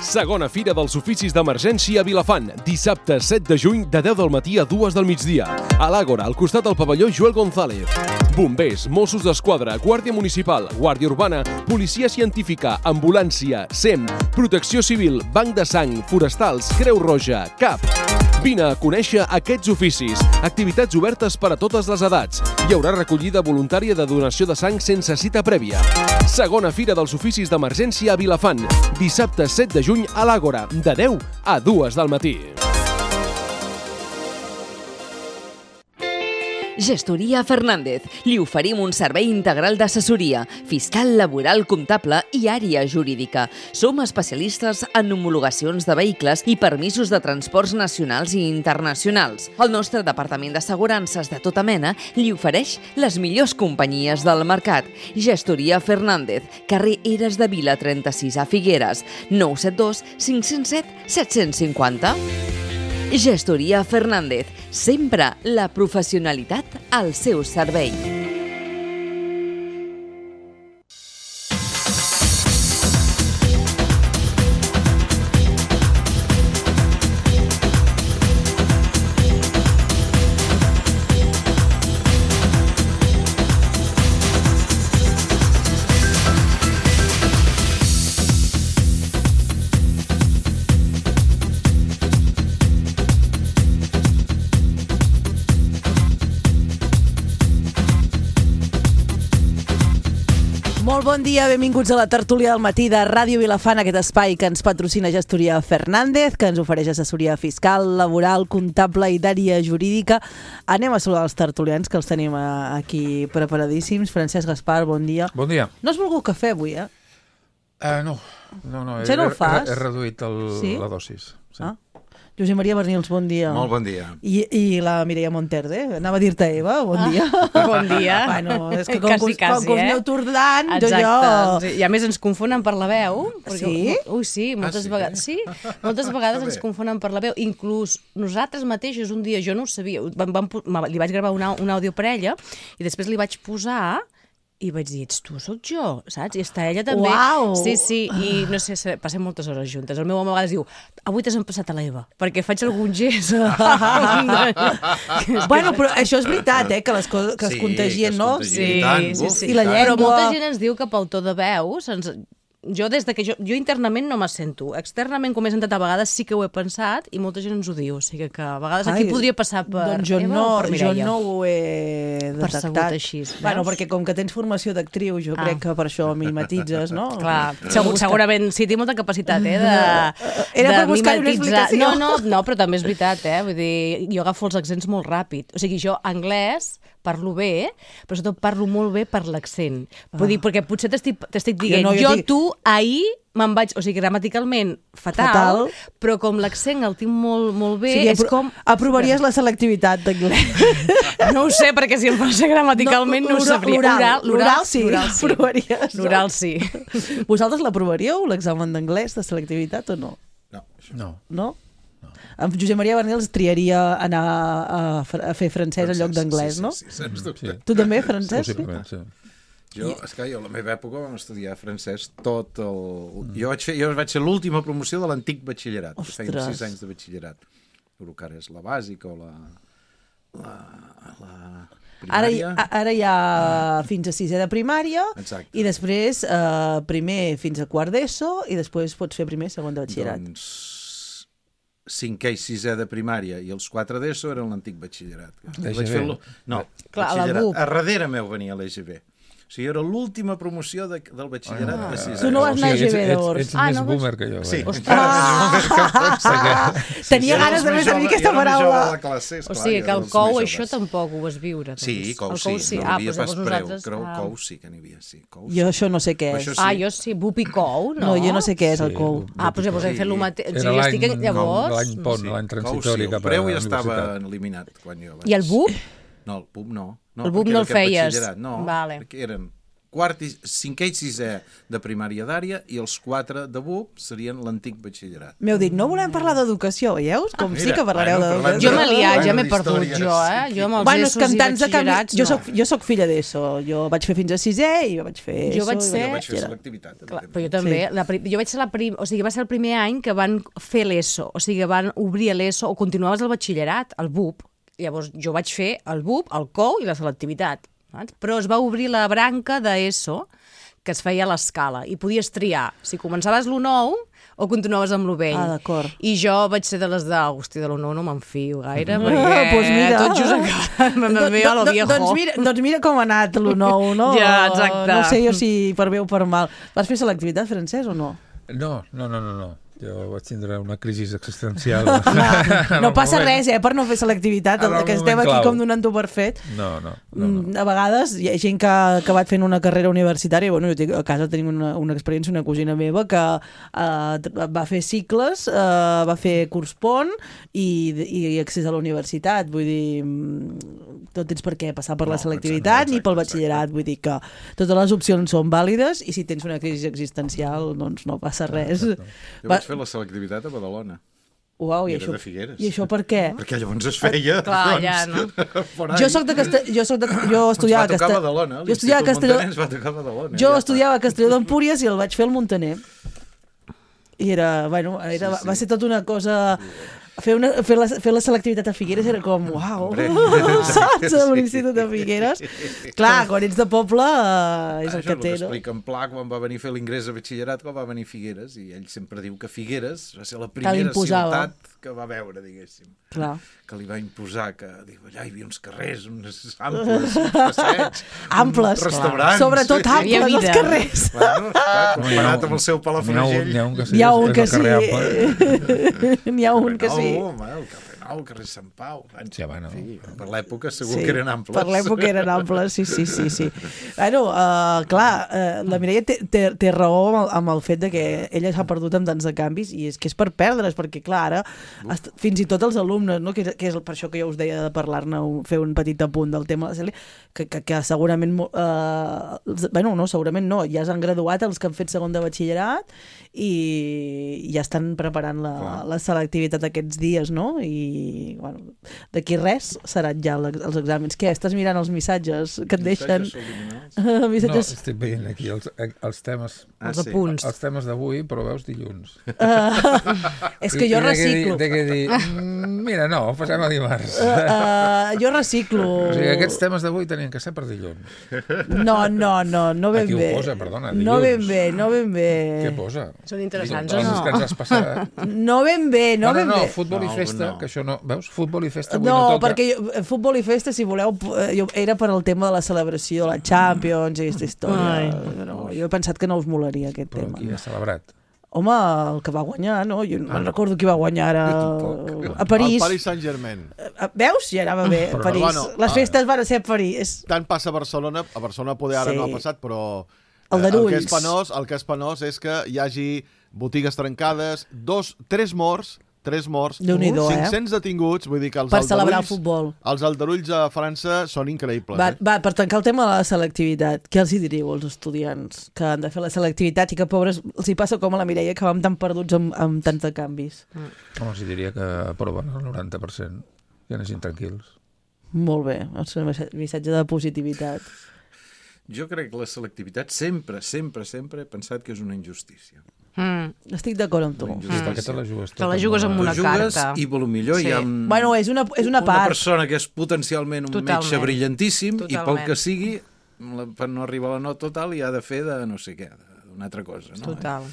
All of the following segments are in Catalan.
Segona Fira dels Oficis d'Emergència a Vilafant, dissabte 7 de juny de 10 del matí a 2 del migdia. A l'Àgora, al costat del pavelló Joel González. Bombers, Mossos d'Esquadra, Guàrdia Municipal, Guàrdia Urbana, Policia Científica, Ambulància, SEM, Protecció Civil, Banc de Sang, Forestals, Creu Roja, CAP. Vine a conèixer aquests oficis. Activitats obertes per a totes les edats. Hi haurà recollida voluntària de donació de sang sense cita prèvia. Segona Fira dels Oficis d'Emergència a Vilafant, dissabte 7 de juny a l'Àgora, de 10 a 2 del matí. Gestoria Fernández. Li oferim un servei integral d'assessoria, fiscal, laboral, comptable i àrea jurídica. Som especialistes en homologacions de vehicles i permisos de transports nacionals i internacionals. El nostre departament d'assegurances de tota mena li ofereix les millors companyies del mercat. Gestoria Fernández, carrer Eres de Vila 36 a Figueres, 972 507 750. Gestoria Fernández, sempre la professionalitat al seu servei. Molt bon dia, benvinguts a la tertúlia del matí de Ràdio Vilafant, aquest espai que ens patrocina Gestoria Fernández, que ens ofereix assessoria fiscal, laboral, comptable i d'àrea jurídica. Anem a saludar els tertulians, que els tenim aquí preparadíssims. Francesc Gaspar, bon dia. Bon dia. No has volgut cafè avui, eh? No. Ja no el fas? He reduït la dosis. Sí. Ah. Josep Maria Bernils, bon dia. Molt bon dia. I la Mireia Monterde, anava a dir-te Eva, bon dia. Bon dia. Bueno, és que com quasi, que us aneu tordant, exacte. I a més ens confonen per la veu. Sí? Ui, sí, moltes vegades. Sí, moltes vegades ens confonen per la veu. Inclús nosaltres mateixos, un dia, jo no ho sabia, li vaig gravar un àudio per ella i després li vaig posar i vaig dir, ets tu, sóc jo, saps? I està ella també. Uau! Sí, i no sé, passem moltes hores juntes. El meu home a vegades diu, avui t'has empassat a l'Eva, perquè faig algun gest. Bueno, però això és veritat, que les coses que es contagien, no? Sí. I la llengua... Però molta gent ens diu que pel to de veu... Jo internament no me sento. Externament, com he sentat a vegades, sí que ho he pensat i molta gent ens ho diu. O sigui que a vegades aquí podria passar per doncs Eva o per Mireia. Jo no ho he detectat. Percebut així, veus? Bueno, perquè com que tens formació d'actriu, jo crec que per això mimetitzes, no? Clar, segurament sí, té molta capacitat, Era per buscar una explicació. No, però també és veritat, Vull dir, jo agafo els accents molt ràpid. O sigui, jo anglès parlo bé, però sobretot parlo molt bé per l'accent. Vull dir, perquè potser t'estic dient, tu, ahir me'n vaig, o sigui, gramaticalment fatal, però com l'accent el tinc molt bé, és com... Aprovaries la selectivitat d'anglès? No ho sé, perquè si em passa gramaticalment no ho sabria. L'oral sí, l'aprovaries. L'oral sí. Vosaltres l'aprovaríeu, l'examen d'anglès de selectivitat o no? No? En Josep Maria Bernils triaria anar a fer francès en lloc d'anglès, no? Sí, sens dubte. Tu també, francès? Possiblement, sí. Jo a la meva època vam estudiar francès tot el... Jo vaig ser l'última promoció de l'antic batxillerat, que feien 6 anys de batxillerat. El que ara és la bàsica o la primària. Ara hi ha fins a 6è de primària. Exacte. I després primer fins a quart d'ESO i després pots fer primer i segon de batxillerat. Doncs 5è i 6è de primària i els 4 d'ESO eren l'antic batxillerat. No, batxillerat. A darrere meu venia l'EGB. O sigui, era l'última promoció del batxillerat de 6 anys. Tu no vas anar a EGB, llavors. Ets més boomer que jo. Sí. Tenia ganes de dir aquesta paraula. O sigui, que el COU això tampoc ho vas viure. Sí, COU sí. No hi havia pas preu. COU sí que n'hi havia, sí. Jo això no sé què és. Jo sí, BUP i COU, no? No, jo no sé què és el COU. Doncs llavors hem fet el mateix. Era l'any pont, l'any transitori cap a la universitat. El preu ja estava eliminat quan jo vaig... I el BUP? No, el BUP no. El BUP no el feies? No, vale. perquè eren cinquè i sisè de primària d'àrea i els 4 de BUP serien l'antic batxillerat. M'heu dit, no volem parlar d'educació, veieu? Com sí que parlareu d'educació. Jo m'he liat, ja m'he perdut, jo, Jo amb els ESOs i batxillerats, no. Jo soc filla d'ESO, jo vaig fer fins a 6è i jo vaig fer ESO. Jo vaig fer selectivitat. Però jo també. Jo vaig ser o sigui, va ser el primer any que van fer l'ESO, o sigui, van obrir l'ESO o continuaves el batxillerat, el BUP. Llavors jo vaig fer el BUP, el COU i la selectivitat. Però es va obrir la branca d'ESO que es feia a l'escala i podies triar si començaves l'1-9 o continuaves amb l'1 Ah, d'acord. I jo vaig ser de les de, hosti, de l'1-9 no me'n fio gaire, perquè pues mira. tot just a lo viejo. Doncs mira com ha anat l'1-9, no? Ja, exacte. No sé jo si per bé o per mal. Vas fer selectivitat, Francesc, o no? No. Jo vaig tindre una crisi existencial. No passa res, per no fer selectivitat, que estem aquí com donant-ho per fet. No. A vegades hi ha gent que ha acabat fent una carrera universitària, bueno, jo a casa tenim una experiència, una cosina meva que va fer cicles, va fer curs pont i accés a la universitat, vull dir, no tens per què passar per la selectivitat ni pel batxillerat, vull dir que totes les opcions són vàlides i si tens una crisi existencial doncs no passa res. Jo vaig fer la selectivitat a Badalona. Uau, i això per què? Perquè llavors es feia... Clar, ja, no? Jo estudiava a Castelló. Jo estudiava a Castelló. Jo estudiava a Castelló d'Empúries i el vaig fer al Montaner. I va ser tota una cosa... Fer la selectivitat a Figueres era com, uau, saps? A l'Institut de Figueres. Clar, quan ets de poble és el que té, no? Això explica en Pla quan va venir a fer l'ingrés a batxillerat, quan va venir a Figueres, i ell sempre diu que Figueres va ser la primera ciutat que va veure, diguéssim. Clar. Que li va imposar, que allà hi havia uns carrers, uns amples, uns passeigs, amples, restaurants. Sobretot amples, els carrers. Bueno, comparat amb el seu Palafrugell. N'hi ha un que sí. N'hi ha un que sí. El carrer Nou, el carrer Sant Pau. Per l'època segur que eren amples. Per l'època eren amples, sí. Bueno, clar, la Mireia té raó amb el fet de que ella s'ha perdut amb tants de canvis i és que és per perdre's, perquè clar, ara fins i tot els alumnes, no? que és per això que jo us deia de parlar-ne, fer un petit apunt del tema de la Cèlia, que segurament segurament no, ja s'han graduat els que han fet segon de batxillerat i ja estan preparant la selectivitat aquests dies, no? I bueno, d'aquí res seran ja els exàmens. Què? Estàs mirant els missatges que et deixen? No, estic veient aquí els temes, els apunts. Els temes d'avui, però veus dilluns. És que jo reciclo. Té que dir, mira, no, passem a dimarts. Jo reciclo. O sigui, aquests temes d'avui tenien que ser per dilluns. No ben bé. Aquí ho posa, perdona, dilluns. No ben bé. Què posa? Són interessants o no? Que ens has passat. No ben bé. No, futbol i festa, que això no... Veus? Futbol i festa avui no toca. No, perquè futbol i festa, si voleu, era per al tema de la celebració de la Champions i aquesta història. No, jo he pensat que no us molaria aquest tema. Però qui ha celebrat? Home, el que va guanyar, no? Jo no recordo qui va guanyar ara a París. El Paris Saint-Germain. Veus? Ja anava bé, a París. Bueno, les festes van ser a París. Tant passa a Barcelona. A Barcelona poder ara no ha passat, però... El que és penós és que hi hagi botigues trencades, 3 morts, 500 detinguts, vull dir que per celebrar el futbol. Els aldarulls a França són increïbles. Va, per tancar el tema de la selectivitat, què els hi diríeu als estudiants que han de fer la selectivitat i que pobres els hi passa com a la Mireia, que vam tan perduts amb tants de canvis? Els hi diria que aproven el 90%, que anessin tranquils. Molt bé, el missatge de positivitat. Jo crec que la selectivitat sempre he pensat que és una injustícia. Estic d'acord amb tu. Perquè te la jugues tota. Te la jugues amb una carta. I potser hi ha és una part. Persona que és potencialment un metge brillantíssim i pel que sigui, per no arribar a la nota total, hi ha de fer de no sé què, d'una altra cosa. No? Total.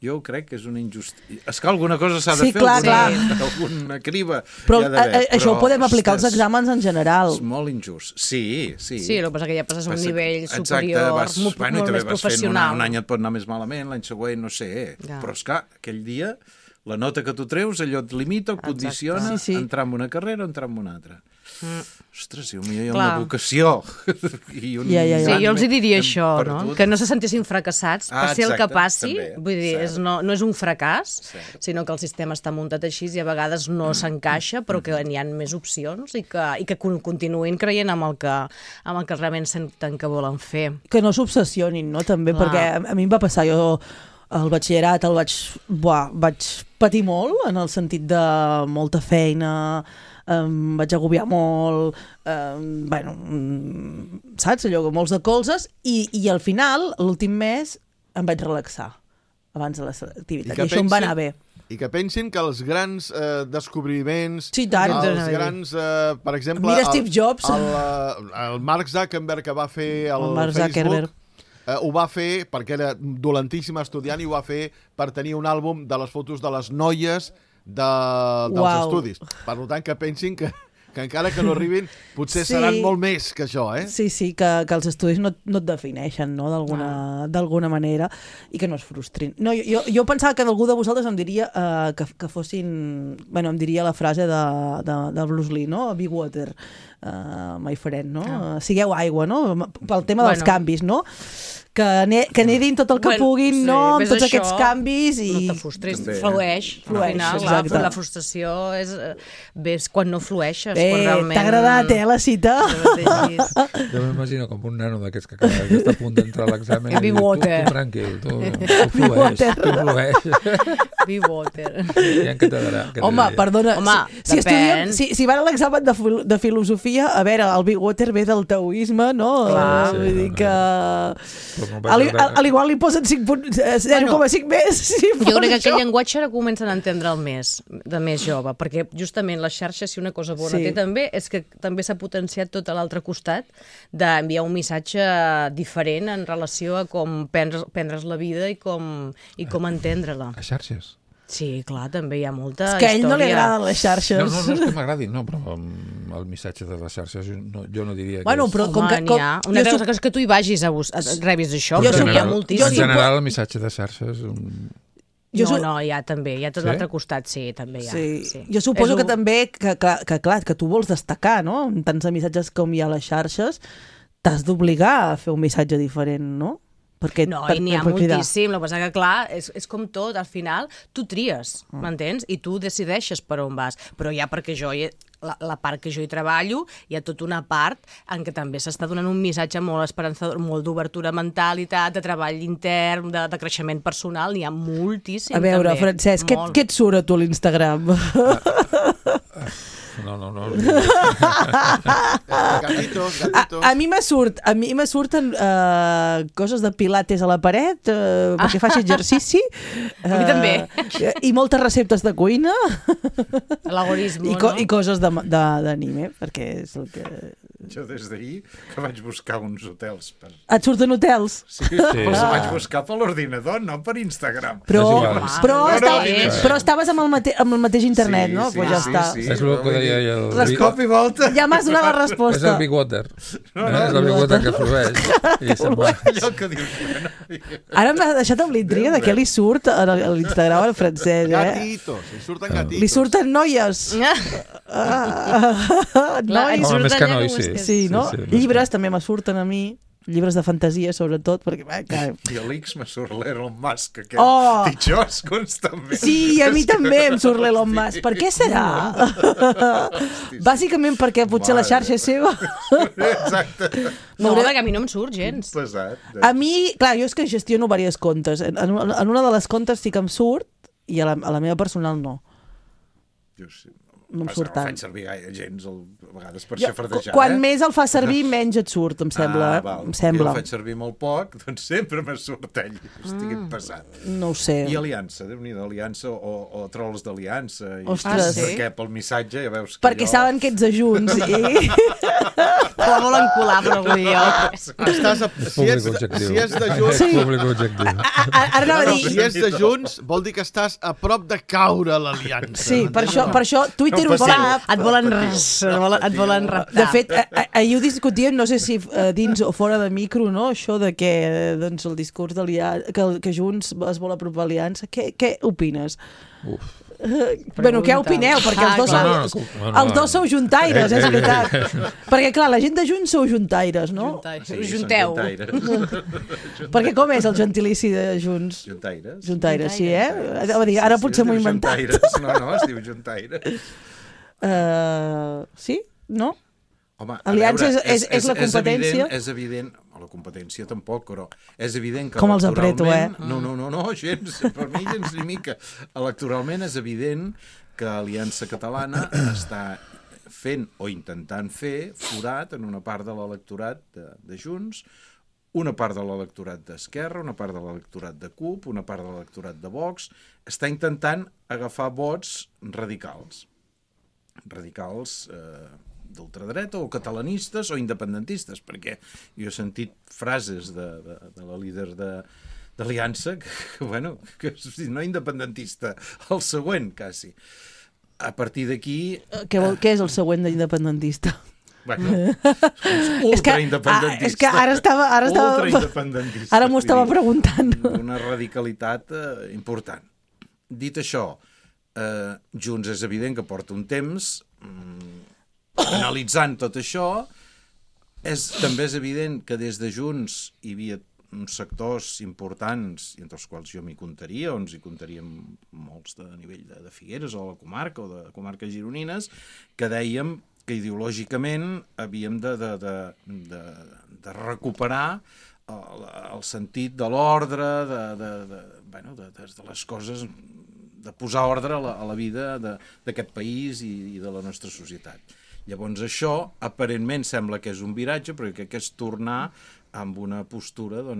Jo crec que és una injustícia. És que alguna cosa s'ha de fer, alguna criba però hi ha d'haver. Això ho podem aplicar als exàmens en general. És molt injust. Sí. Sí, el que passa que ja passes a un nivell superior, molt més professional. Un any et pot anar més malament, l'any següent no sé, però és que aquell dia la nota que tu treus, allò et limita, et condiciona, entrar en una carrera o entrar en una altra. Ostres, hi ha una vocació. Sí, jo els diria això, no? Que no se sentessin fracassats, passi el que passi. Vull dir, no és un fracàs, sinó que el sistema està muntat així i a vegades no s'encaixa, però que n'hi ha més opcions i que continuïn creient amb el que realment senten que volen fer. Que no s'obsessionin, no? També, perquè a mi em va passar, jo el batxillerat el vaig patir molt, en el sentit de molta feina, em vaig agobiar molt, saps? Allò, molts de colzes, i al final, l'últim mes, em vaig relaxar abans de l'activitat, i això em va anar bé. I que pensin que els grans descobriments, els grans, per exemple, mira Steve Jobs, el Mark Zuckerberg que va fer el Facebook, ho va fer perquè era dolentíssim estudiant i ho va fer per tenir un àlbum de les fotos de les noies dels estudis. Per tant, que pensin que encara que no arribin, potser seran molt més que això, eh? Sí, que els estudis no et defineixen, no?, d'alguna manera, i que no es frustrin. No, jo pensava que algú de vosaltres em diria que fossin... Em diria la frase de Bruce Lee, no? Be water, my friend, no? Sigueu aigua, no? Pel tema dels canvis, no? Que nedin tot el que puguin, no?, amb tots aquests canvis i... No te frustris, flueix. Al final, la frustració ves quan no flueixes. T'ha agradat, la cita? Jo m'imagino com un nano d'aquests que està a punt d'entrar a l'examen i diu, tu tranquil, tu flueix. Be water. Ja què t'agrada? Home, perdona, si van a l'examen de filosofia, a veure, el be water ve del taoisme, no? Vull dir que... A l'igual li posen 0,5 més. Jo crec que aquell llenguatge ara comencen a entendre'l més, de més jove, perquè justament les xarxes, si una cosa bona té també, és que també s'ha potenciat tot a l'altre costat d'enviar un missatge diferent en relació a com prendre's la vida i com entendre-la. A xarxes? Sí, clar, també hi ha molta història. És que a ell no li agraden les xarxes. No és que m'agradin, no, però el missatge de les xarxes jo no diria que és... Però n'hi ha. Una cosa és que tu hi vagis a rebis això, però n'hi ha moltíssim. En general, el missatge de xarxes... No, hi ha també, hi ha tot l'altre costat, sí, també hi ha. Sí. Jo suposo que també, que tu vols destacar, no? En tants missatges com hi ha a les xarxes, t'has d'obligar a fer un missatge diferent, no? I n'hi ha moltíssim, el que passa que, clar, és com tot, al final tu tries, m'entens? I tu decideixes per on vas, però ja perquè la part que jo hi treballo, hi ha tota una part en què també s'està donant un missatge molt esperançador, molt d'obertura mentalitat, de treball intern, de creixement personal, n'hi ha moltíssim. A veure, també. Francesc, què et surt a tu a l'Instagram? No. Gatitos. A mi me surten coses de pilates a la paret perquè faig exercici. A mi també. I moltes receptes de cuina. L'algoritme, no? I coses d'anime, perquè és el que... Jo des d'ahir que vaig buscar uns hotels. Et surten hotels? Sí, els vaig buscar per l'ordinador, no per Instagram. Però estaves amb el mateix internet, no? Pues ja està. És el que deia les cop i volta. Ja m'has donat la resposta. És el Big Water. És el Big Water que flueix. Allò que dius... Ara m'ha deixat amb l'intriga de què li surt a l'Instagram al Francesc. Gatitos, li surten gatitos. Li surten noies. Més que nois, sí. Sí, no? Llibres també me surten a mi. Llibres de fantasia, sobretot, perquè... I a l'X me surt l'Elon Musk, aquest titxós constantment. Sí, a mi també em surt l'Elon Musk. Per què serà? Bàsicament perquè potser la xarxa és seva. Exacte. No, perquè a mi no em surt gens. Pesat. A mi, clar, jo és que gestiono diverses comptes. En una de les comptes sí que em surt i a la meva personal no. Jo sí. No em surt tant. No faig servir gaire gens, a vegades per xafardejar. Quan més el fa servir, menys et surt, em sembla. Jo el faig servir molt poc, doncs sempre me surt ell. Estic passat. No ho sé. I Aliança, Déu-n'hi-do, Aliança o Trolls d'Aliança. Ostres. Perquè pel missatge ja veus que perquè saben que ets de Junts i... La volen colar, però avui jo. Si és de Junts... Públic objectiu. Ara anava a dir... Si és de Junts, vol dir que estàs a prop de caure a l'Aliança. Sí, per això Twitter ho sap. Et volen raptar. De fet, ahir ho discutíem, no sé si dins o fora de micro, no? Això de que el discurs que Junts es vol apropar a l'Aliança. Què opines? Bueno, què opineu? Perquè els dos sou juntaires, és veritat. Perquè, clar, la gent de Junts sou juntaires, no? Junteu. Perquè com és el gentilici de Junts? Juntaires. Juntaires, sí, Ara potser m'ho he inventat. No, es diu juntaires. Sí? No? Home, Aliança és la competència? És evident, la competència tampoc, però és evident que com els apreto, No, gens, per mi gens ni mica. Electoralment és evident que Aliança Catalana està fent o intentant fer forat en una part de l'electorat de Junts, una part de l'electorat d'Esquerra, una part de l'electorat de CUP, una part de l'electorat de Vox, està intentant agafar vots radicals d'ultradreta o catalanistes o independentistes, perquè jo he sentit frases de la líder d'Aliança que no independentista, el següent, quasi. A partir d'aquí... Què és el següent d'independentista? Ultraindependentista. És que ara m'ho estava preguntant. Una radicalitat important. Dit això, Junts és evident que porta un temps analitzant tot això. També és evident que des de Junts hi havia uns sectors importants, i entre els quals jo m'hi comptaria, on hi comptaríem molts de nivell de Figueres o la comarca o de comarques gironines, que dèiem que ideològicament havíem de recuperar el sentit de l'ordre, de les coses, de posar ordre a la vida d'aquest país i de la nostra societat. Llavors això, aparentment, sembla que és un viratge, però que és tornar amb una postura de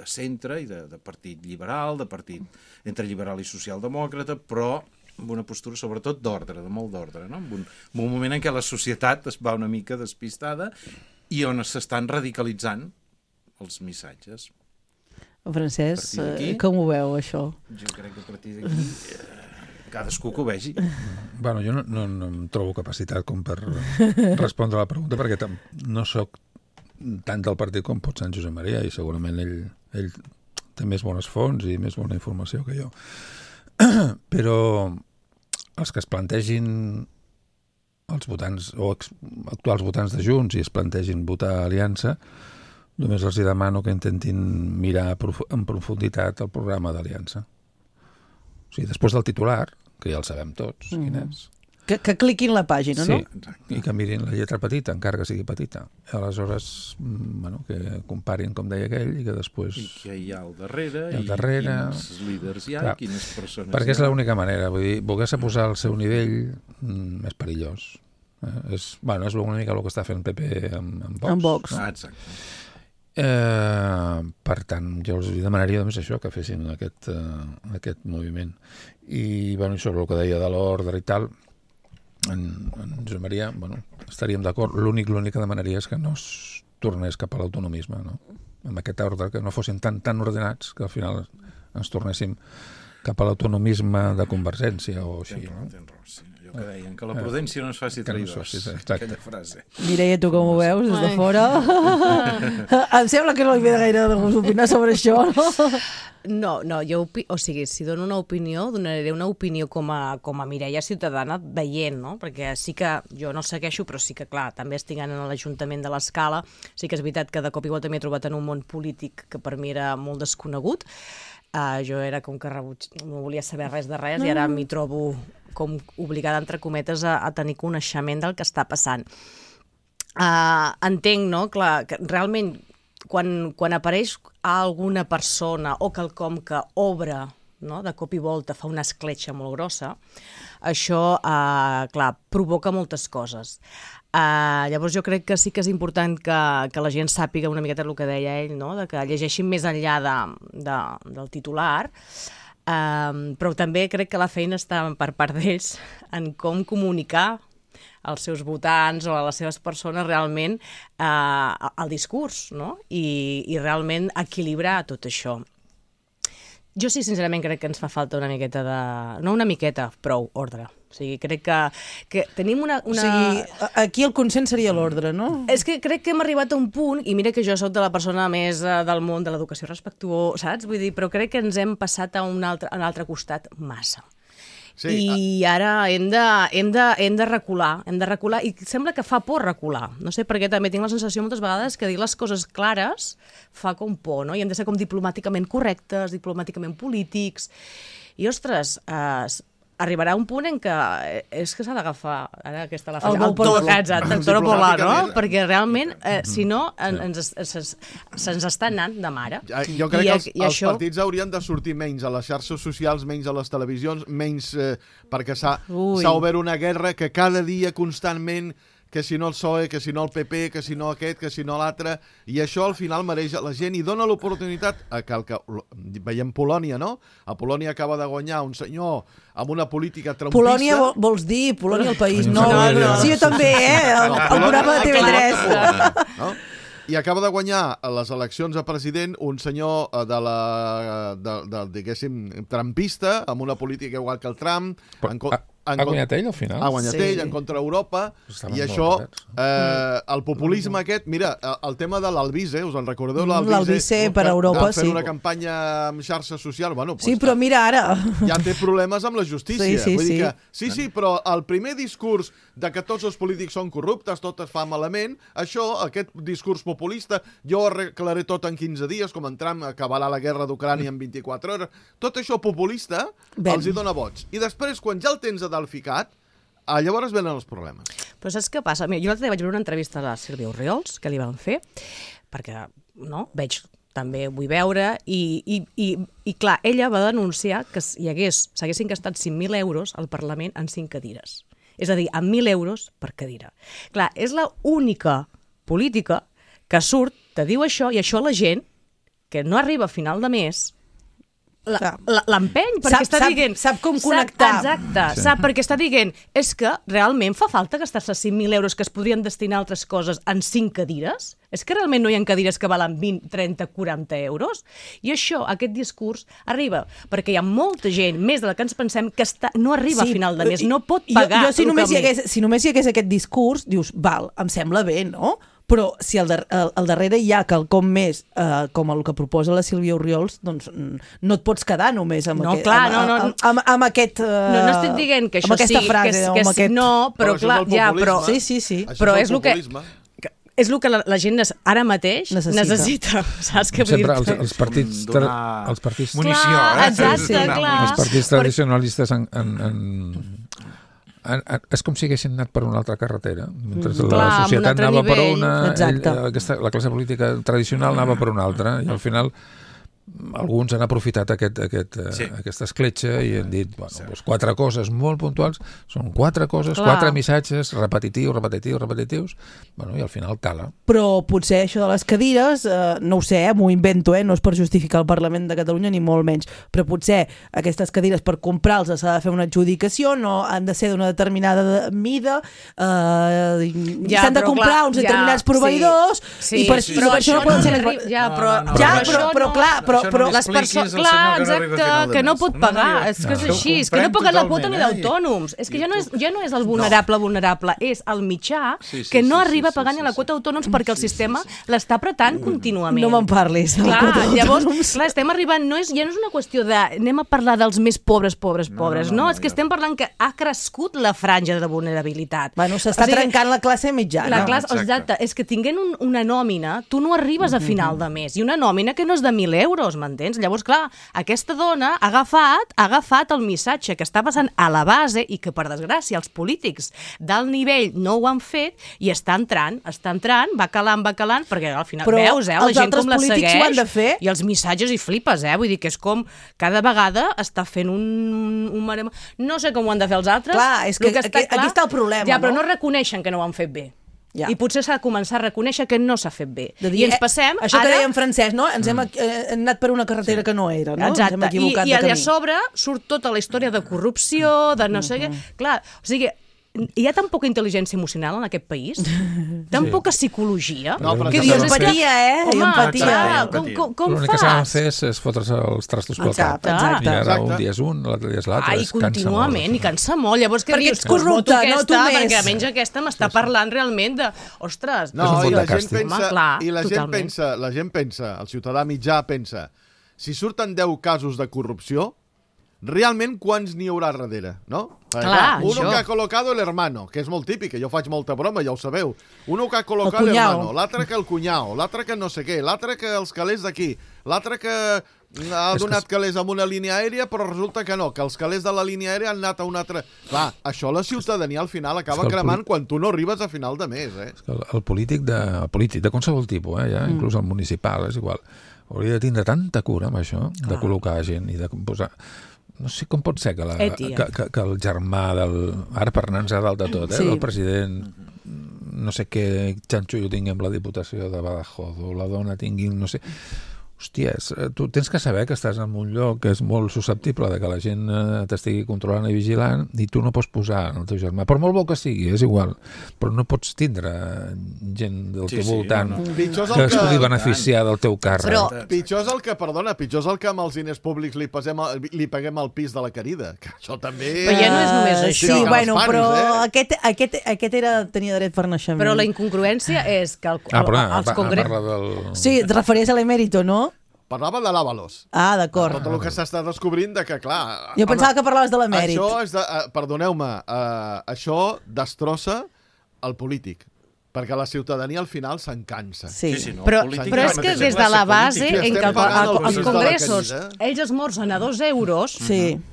centre i de partit liberal, de partit entre liberal i socialdemòcrata, però amb una postura sobretot d'ordre, de molt d'ordre, no? En un moment en què la societat es va una mica despistada i on s'estan radicalitzant els missatges. Francesc, com ho veu, això? Jo crec que a partir d'aquí cadascú que ho vegi. Bueno, jo no em trobo capacitat com per respondre a la pregunta, perquè no sóc tant del partit com pot ser en Josep Maria, i segurament ell té més bones fonts i més bona informació que jo. Però els que es plantegin els votants o actuals votants de Junts i es plantegin votar Aliança, només els demano que intentin mirar en profunditat el programa d'Aliança. O sigui, després del titular, que ja el sabem tots, quin és. Que cliquin la pàgina, no? Sí, i que mirin la lletra petita, encara que sigui petita. Aleshores, que comparin, com deia aquell, i que després... I què hi ha al darrere, quins líders hi ha, i quines persones hi ha. Perquè és l'única manera, vull dir, voler-se posar al seu nivell és perillós. És una mica el que està fent el PP amb Vox. Amb Vox. Exacte. Per tant, jo els demanaria només això, que fessin aquest moviment. I sobre el que deia de l'ordre i tal, en Josep Maria, estaríem d'acord. L'únic que demanaria és que no es tornés cap a l'autonomisme, no? Amb aquest ordre, que no fossin tan ordenats que al final ens tornéssim cap a l'autonomisme de Convergència o així. Tens raó, sí. Que deien, que la prudència no ens faci traïdors, aquella frase. Mireia, tu com ho veus des de fora? Em sembla que no li ve gaire de gust opinar sobre això, no? No, jo, si dono una opinió, donaré una opinió com a Mireia ciutadana veient, no? Perquè sí que jo no segueixo, però sí que, clar, també estic en l'Ajuntament de l'Escala, sí que és veritat que de cop i volta m'he trobat en un món polític que per mi era molt desconegut. Jo era com que no volia saber res de res i ara m'hi trobo com obligada, entre cometes, a tenir coneixement del que està passant. Entenc, no?, clar, que realment quan apareix alguna persona o quelcom que obre, no?, de cop i volta fa una escletxa molt grossa, això, clar, provoca moltes coses. Llavors jo crec que sí que és important que la gent sàpiga una miqueta el que deia ell, no?, de que llegeixin més enllà del titular, però també crec que la feina està per part d'ells en com comunicar als seus votants o a les seves persones realment el discurs, no?, i realment equilibrar tot això. Jo sí, sincerament, crec que ens fa falta una miqueta no una miqueta, prou ordre. O sigui, crec que tenim una... O sigui, aquí el consens seria l'ordre, no? És que crec que hem arribat a un punt, i mira que jo soc de la persona més del món de l'educació respectuosa, saps? Vull dir, però crec que ens hem passat a un altre costat massa. I ara hem de recular, i sembla que fa por recular. No sé per què també tinc la sensació moltes vegades que dir les coses clares fa com por, no? I hem de ser com diplomàticament correctes, diplomàticament polítics. I, ostres, arribarà un punt en què és que s'ha d'agafar ara aquesta la frase, el toro polar, no? Perquè realment, si no, se'ns està anant de mare. Jo crec que els partits haurien de sortir menys a les xarxes socials, menys a les televisions, menys perquè s'ha obert una guerra que cada dia constantment, que si no el PSOE, que si no el PP, que si no aquest, que si no l'altre, i això al final mereix la gent i dona l'oportunitat a que veiem Polònia, no? A Polònia acaba de guanyar un senyor amb una política trumpista. Polònia vols dir? Polònia el país? No. Sí, jo també, el programa de TV3. No? I acaba de guanyar les eleccions a president un senyor diguéssim, trumpista, amb una política igual que el Trump. Ha guanyat ell al final? Ha guanyat ell en contra Europa, i això, el populisme aquest, mira, el tema de l'Albise, us en recordeu? L'Albise per Europa, sí. Fent una campanya amb xarxes socials, bueno... Sí, però mira ara... Ja té problemes amb la justícia. Vull dir que, sí, però el primer discurs de que tots els polítics són corruptes, tot es fa malament, aquest discurs populista, jo ho arreglaré tot en 15 dies, com en Trump acabarà la guerra d'Ucrània en 24 hores, tot això populista els hi dona vots. I després, quan ja el tens a dalt ficat, llavors venen els problemes. Però saps què passa? Mira, jo l'altre dia vaig veure una entrevista a la Sílvia Orriols, que li van fer, perquè també vull veure, i clar, ella va denunciar que s'haguessin gastat 5.000 euros al Parlament en 5 cadires. És a dir, amb 1.000 euros per cadira. Clar, és l'única política que surt, te diu això, i això la gent, que no arriba a final de mes, l'empeny, perquè està dient... Sap com connectar. Exacte, sap, perquè està dient, és que realment fa falta gastar-se 5.000 euros que es podrien destinar a altres coses en 5 cadires? És que realment no hi ha cadires que valen 20, 30, 40 euros? I això, aquest discurs, arriba perquè hi ha molta gent, més de la que ens pensem, que no arriba a final de mes, no pot pagar. Si només hi hagués aquest discurs, dius, val, em sembla bé, no? Però si al darrere hi ha quelcom més, com el que proposa la Sílvia Orriols, doncs no et pots quedar només amb aquest... No estic dient que això sí, que no, però clar, ja, però... Sí. Però és el que... És el que la gent ara mateix necessita. Saps què vull dir? Sempre els partits... Munició, exacte, clar. Els partits tradicionalistes és com si haguessin anat per una altra carretera, mentre la societat anava per una, la classe política tradicional anava per una altra, i al final alguns han aprofitat aquesta escletxa i han dit, bueno, 4 coses molt puntuals, són 4 coses, 4 missatges repetitius, bueno, i al final cala. Però potser això de les cadires, no ho sé, m'ho invento, no és per justificar el Parlament de Catalunya ni molt menys, però potser aquestes cadires per comprar-les s'ha de fer una adjudicació, no han de ser d'una determinada mida, s'han de comprar uns determinats proveïdors, i per això no poden ser... Però les persones, clar, exacte, que no pot pagar, és que és així, és que no paga la quota ni d'autònoms, és que ja no és el vulnerable, és el mitjà que no arriba a pagar ni la quota d'autònoms perquè el sistema l'està apretant contínuament. No me'n parlis de la quota d'autònoms. Llavors, clar, estem arribant, ja no és una qüestió de anem a parlar dels més pobres, no, és que estem parlant que ha crescut la franja de vulnerabilitat. Bueno, s'està trencant la classe mitjana. Exacte, és que tinguent una nòmina, tu no arribes a final de mes, i una nòmina que no és de 1.000 euros, m'entens? Llavors, clar, aquesta dona ha agafat el missatge que està passant a la base i que, per desgràcia, els polítics d'alt nivell no ho han fet i està entrant, va calant, perquè al final veus, la gent com la segueix i els missatges i flipes, vull dir que és com cada vegada està fent un... No sé com ho han de fer els altres. Clar, és que aquí està el problema, ja, però no reconeixen que no ho han fet bé. I potser s'ha de començar a reconèixer que no s'ha fet bé. I ens passem... Això que deia en francès, no? Ens hem anat per una carretera que no era, no? Exacte. I a sobre surt tota la història de corrupció, de no sé què... Clar, o sigui... Hi ha tan poca intel·ligència emocional en aquest país? Tan poca psicologia? Que dius, empatia, empatia. Com l'únic que s'ha de fer és fotre's els trastos pel cap. I ara un dia és un, l'altre dia és l'altre. I contínuament, i cansa molt. Llavors, què dius? Perquè ets corrupte, no tu més. Perquè almenys aquesta m'està parlant realment de... Ostres, no, i la gent pensa, el ciutadà mitjà pensa, si surten 10 casos de corrupció, realment quants n'hi haurà darrere, no? Clar, uno això. que ha colocado el hermano, que és molt típic, que jo faig molta broma, ja ho sabeu. Uno que ha colocado El el cunyau. hermano, l'altre que el cunyau, l'altre que no sé què, l'altre que els calés d'aquí, l'altre que ha donat calés amb una línia aèria, però resulta que no, que els calés de la línia aèria han anat a una altra... Clar, això la ciutadania al final acaba cremant quan tu no arribes a final de mes, eh? El polític de qualsevol tipus, ja, inclús el municipal, és igual, hauria de tindre tanta cura amb això, de col·locar gent i de posar... No sé com pot ser que el germà del... Ara per anar-nos a dalt de tot, del president, no sé què xanxullo tingui amb la Diputació de Badajoz, o la dona tingui, no sé... Hòstia, tu tens que saber que estàs en un lloc que és molt susceptible de que la gent t'estigui controlant i vigilant i tu no pots posar el teu germà. Per molt bo que sigui, és igual, però no pots tindre gent del teu voltant que es pugui beneficiar del teu càrrec. Però pitjor és el que, perdona, pitjor és el que amb els diners públics li paguem el pis de la querida, que això també... Però ja no és només això. Sí, bueno, però aquest tenia dret per naixement. Però la incongruència és que els congressos... Sí, et referies a l'emèrito, no? Parlava de l'Àvalos. Ah, d'acord. Tot el que s'està descobrint de que, clar... Jo pensava que parlaves de l'emèrit. Això és perdoneu-me, això destrossa el polític, perquè la ciutadania al final se'n cansa. Sí. No, però és que des de la base en què els congressos ells esmorzen a 2 euros,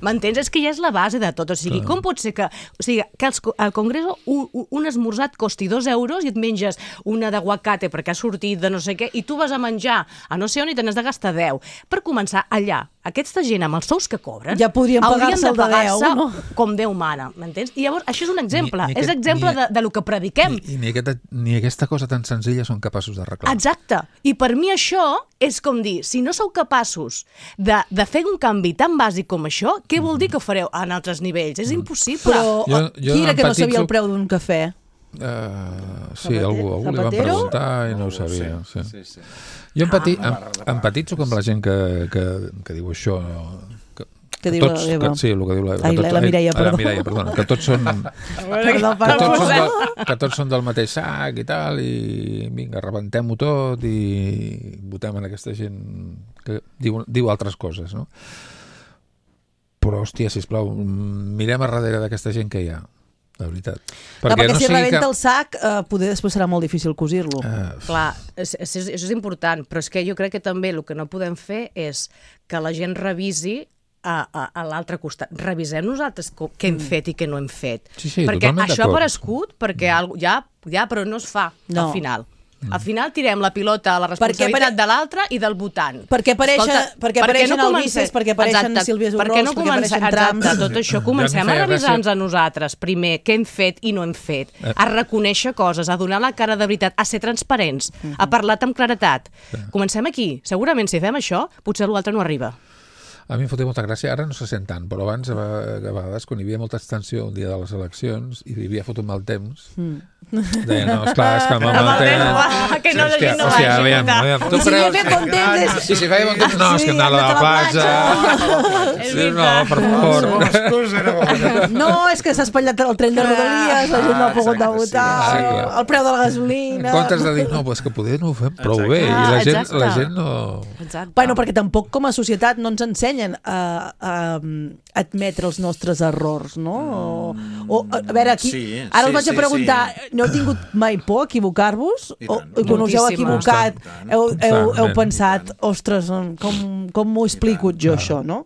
m'entens? És que ja és la base de tot. O sigui, com pot ser que al congrés un esmorzat costi 2 euros i et menges una d'aguacate perquè ha sortit de no sé què i tu vas a menjar a no sé on i te n'has de gastar 10. Per començar, allà, aquesta gent amb els sous que cobren ja podrien pagar-se el de 10, no? Com Déu mana, m'entens? I llavors, això és un exemple. És exemple de lo que prediquem. I ni aquesta cosa tan senzilla són capaços d'arreglar. Exacte. I per mi això és com dir, si no sou capaços de fer un canvi tan bàsic com això, què vol dir que fareu en altres nivells? És impossible. Però qui era que no sabia el preu d'un cafè? Sí, algú li van preguntar i no ho sabia. Sí. Jo empatitzo amb la gent que diu això, que diu la Eva. Sí, el que diu la Eva. La Mireia, perdó. La Mireia, perdona. Que tots són del mateix sac i tal, i vinga, rebentem-ho tot i votem en aquesta gent que diu altres coses, no? Però, hòstia, sisplau, mirem a darrere d'aquesta gent que hi ha, de veritat. Perquè si rebenta el sac, poder després serà molt difícil cosir-lo. Clar, això és important, però és que jo crec que també el que no podem fer és que la gent revisi a l'altre costat. Revisem nosaltres què hem fet i què no hem fet. Sí, perquè això ha aparegut, perquè ja, però no es fa al final. Al final tirem la pilota a la responsabilitat de l'altre i del votant. Perquè apareixen Albices, perquè apareixen Sílvies Horrors, perquè apareixen Trams. Tot això comencem a revisar-nos a nosaltres, primer, què hem fet i no hem fet, a reconèixer coses, a donar la cara de veritat, a ser transparents, a parlar amb claretat. Comencem aquí. Segurament si fem això, potser l'altre no arriba. A mi em fotia molta gràcia, ara no se sent tant, però abans, a vegades, quan hi havia molta extensió el dia de les eleccions i hi havia fotut mal temps, deia, no, esclar, és que amb el temps... Que no, la gent no vagi a votar. I si havia fet bon temps... Si feia bon temps... No, és que hem anat a la platja... No, per favor... No, és que s'ha espatllat el tren de Rodalies, la gent no ha pogut votar, el preu de la gasolina... En comptes de dir, no, és que poder no ho fem prou bé, i la gent no... Bueno, perquè tampoc com a societat no ens ensenya a admetre els nostres errors, no? O a veure, aquí, ara us vaig a preguntar, no heu tingut mai por a equivocar-vos? O quan us heu equivocat heu pensat, ostres, com m'ho explico jo això, no?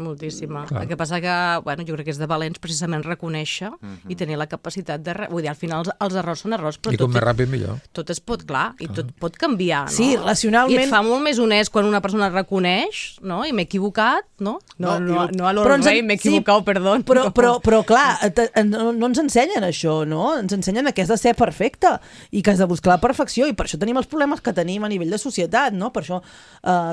Moltíssima. El que passa que, bueno, jo crec que és de valents precisament reconèixer i tenir la capacitat de... Vull dir, al final els errors són errors, però i com més ràpid millor. Tot es pot, clar, i tot pot canviar, no? Sí, racionalment... I et fa molt més honest quan una persona reconeix, no? I m'he equivocat, no? No a l'Orwell, m'he equivocat, perdó. Però clar, no ens ensenyen això, no? Ens ensenyen que has de ser perfecte i que has de buscar la perfecció, i per això tenim els problemes que tenim a nivell de societat, no? Per això,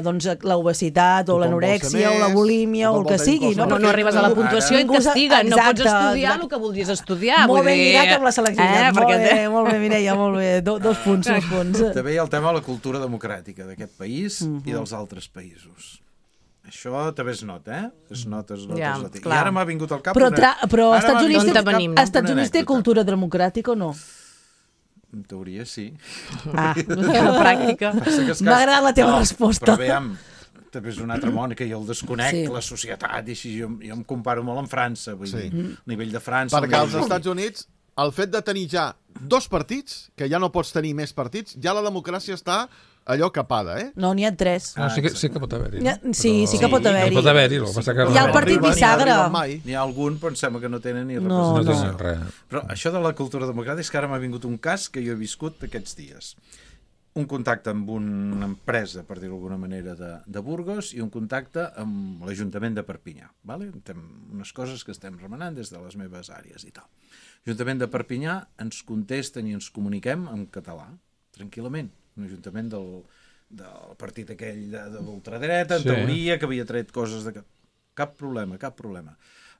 doncs, l'obesitat o l'anorèxia o la bulímia o el que sigui. No arribes a la puntuació i et castiguen, no pots estudiar el que voldries estudiar. Molt ben lligat amb la selectivitat. Molt bé, Mireia, molt bé. Dos punts. També hi ha el tema de la cultura democràtica d'aquest país i dels altres països. Això també es nota, es nota. I ara m'ha vingut al cap però als Estats Units té cultura democràtica o no? En teoria sí. En la pràctica. M'ha agradat la teva resposta. Però veiem, també és un altre món que jo el desconec, la societat, i així jo em comparo molt amb França, vull dir, a nivell de França... Perquè als Estats Units, el fet de tenir ja 2 partits, que ja no pots tenir més partits, ja la democràcia està allò capada, eh? No, n'hi ha 3. Sí que pot haver-hi. Sí que pot haver-hi. Pot haver-hi, hi ha el partit bisagra. N'hi ha algun, però em sembla que no tenen ni representació. No tenen res. Però això de la cultura democràtica és que ara m'ha vingut un cas que jo he viscut aquests dies. Un contacte amb una empresa, per dir-ho d'alguna manera, de Burgos, i un contacte amb l'Ajuntament de Perpinyà. Vale? Unes coses que estem remenant des de les meves àrees i tal. L'Ajuntament de Perpinyà ens contesten i ens comuniquem en català, tranquil·lament. Un ajuntament del partit aquell de l'ultradreta, en teoria, que havia tret coses de... Cap problema, cap problema.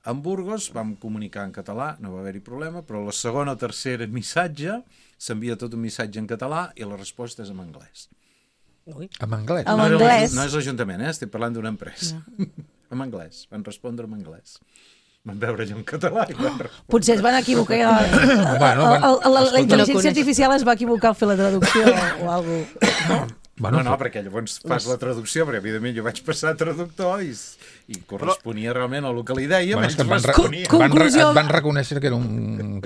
En Burgos vam comunicar en català, no va haver-hi problema, però la segona o tercera missatge s'envia tot un missatge en català i la resposta és en anglès. En anglès? En anglès? No és l'Ajuntament, estic parlant d'una empresa. En anglès, van respondre en anglès. Van veure allò en català i van respondre. Potser es van equivocar. La intel·ligència artificial es va equivocar al fer la traducció o alguna cosa. No, perquè llavors fas la traducció, perquè evidentment jo vaig passar a traductor i corresponia realment al que li deia. Van reconèixer que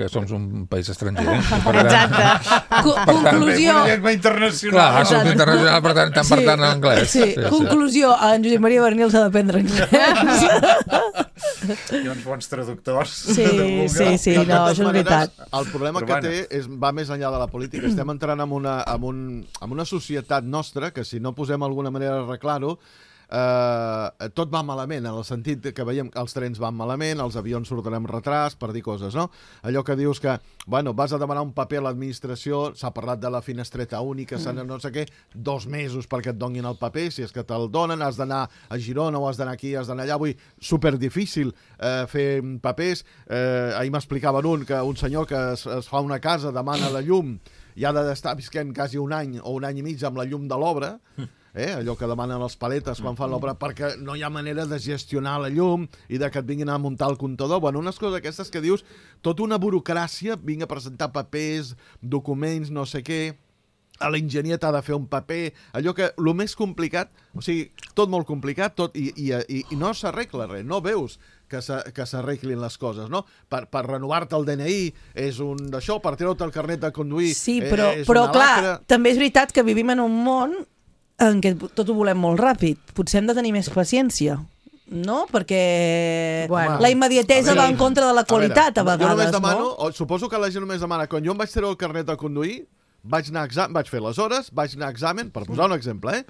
som un país estranger. Exacte. Conclusió. Llengua internacional. Clar, som internacional, per tant, estan parlant en anglès. Conclusió, en Josep Maria Bernil s'ha d'aprendre anglès. Hi ha uns bons traductors. Sí, no, això és veritat. El problema que té va més enllà de la política. Estem entrant en una societat nostra que si no posem alguna manera d'arreglar-ho, tot va malament, en el sentit que veiem que els trens van malament, els avions surten amb retras, per dir coses, no? Allò que dius que, vas a demanar un paper a l'administració, s'ha parlat de la finestreta única, no sé què, 2 mesos perquè et donin el paper, si és que te'l donen, has d'anar a Girona o has d'anar aquí, has d'anar allà, superdifícil fer papers. Ahir m'explicaven un senyor que es fa una casa, demana la llum, i ha d'estar visquent quasi un any o un any i mig amb la llum de l'obra, allò que demanen els paletes quan fan l'obra, perquè no hi ha manera de gestionar la llum i de que et vinguin a muntar el comptador. Unes coses aquestes que dius, tota una burocràcia, vinga a presentar papers, documents, no sé què, a l'enginyer t'ha de fer un paper, allò que, el més complicat, o sigui, tot molt complicat, i no s'arregla res, no veus que s'arreglin les coses, no? Per renovar-te el DNI és un d'això, per treure-te el carnet de conduir sí, però clar, també és veritat que vivim en un món en què tot ho volem molt ràpid. Potser hem de tenir més paciència, no? Perquè la immediatesa va en contra de la qualitat a vegades, jo només demano, suposo que la gent només demana, quan jo em vaig treure el carnet de conduir, vaig fer les hores, vaig anar a examen, per posar un exemple,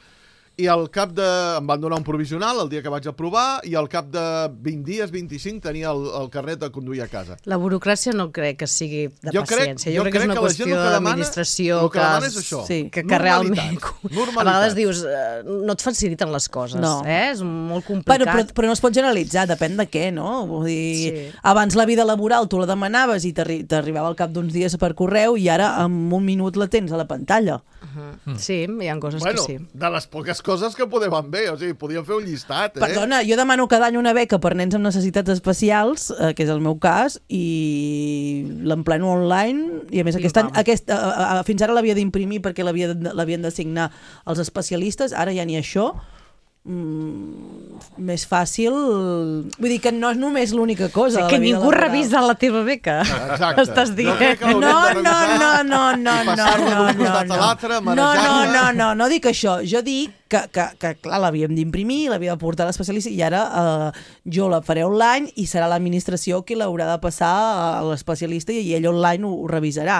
i al cap de... em van donar un provisional el dia que vaig aprovar i al cap de 20 dies, 25, tenia el carnet de conduir a casa. La burocràcia no crec que sigui de paciència. Jo crec que és una qüestió d'administració que realment... A vegades dius, no et faciliten les coses, és molt complicat. Però no es pot generalitzar, depèn de què, no? Vull dir, abans la vida laboral tu la demanaves i t'arribava al cap d'uns dies per correu i ara en un minut la tens a la pantalla. Sí, hi ha coses que sí. De les poques coses que podem bé, o sigui, podíem fer un llistat. Perdona, jo demano cada any una beca per nens amb necessitats especials, que és el meu cas, i l'empleno online, i a més aquest any, fins ara l'havia d'imprimir perquè l'havien de signar els especialistes, ara ja ni això, més fàcil, vull dir que no és només l'única cosa que ningú revisa la teva beca. Exacte. Estàs dient no dic això, jo dic que clar, l'havíem d'imprimir, l'havia de portar a l'especialista i ara jo la faré online i serà l'administració qui l'haurà de passar a l'especialista i ell online ho revisarà.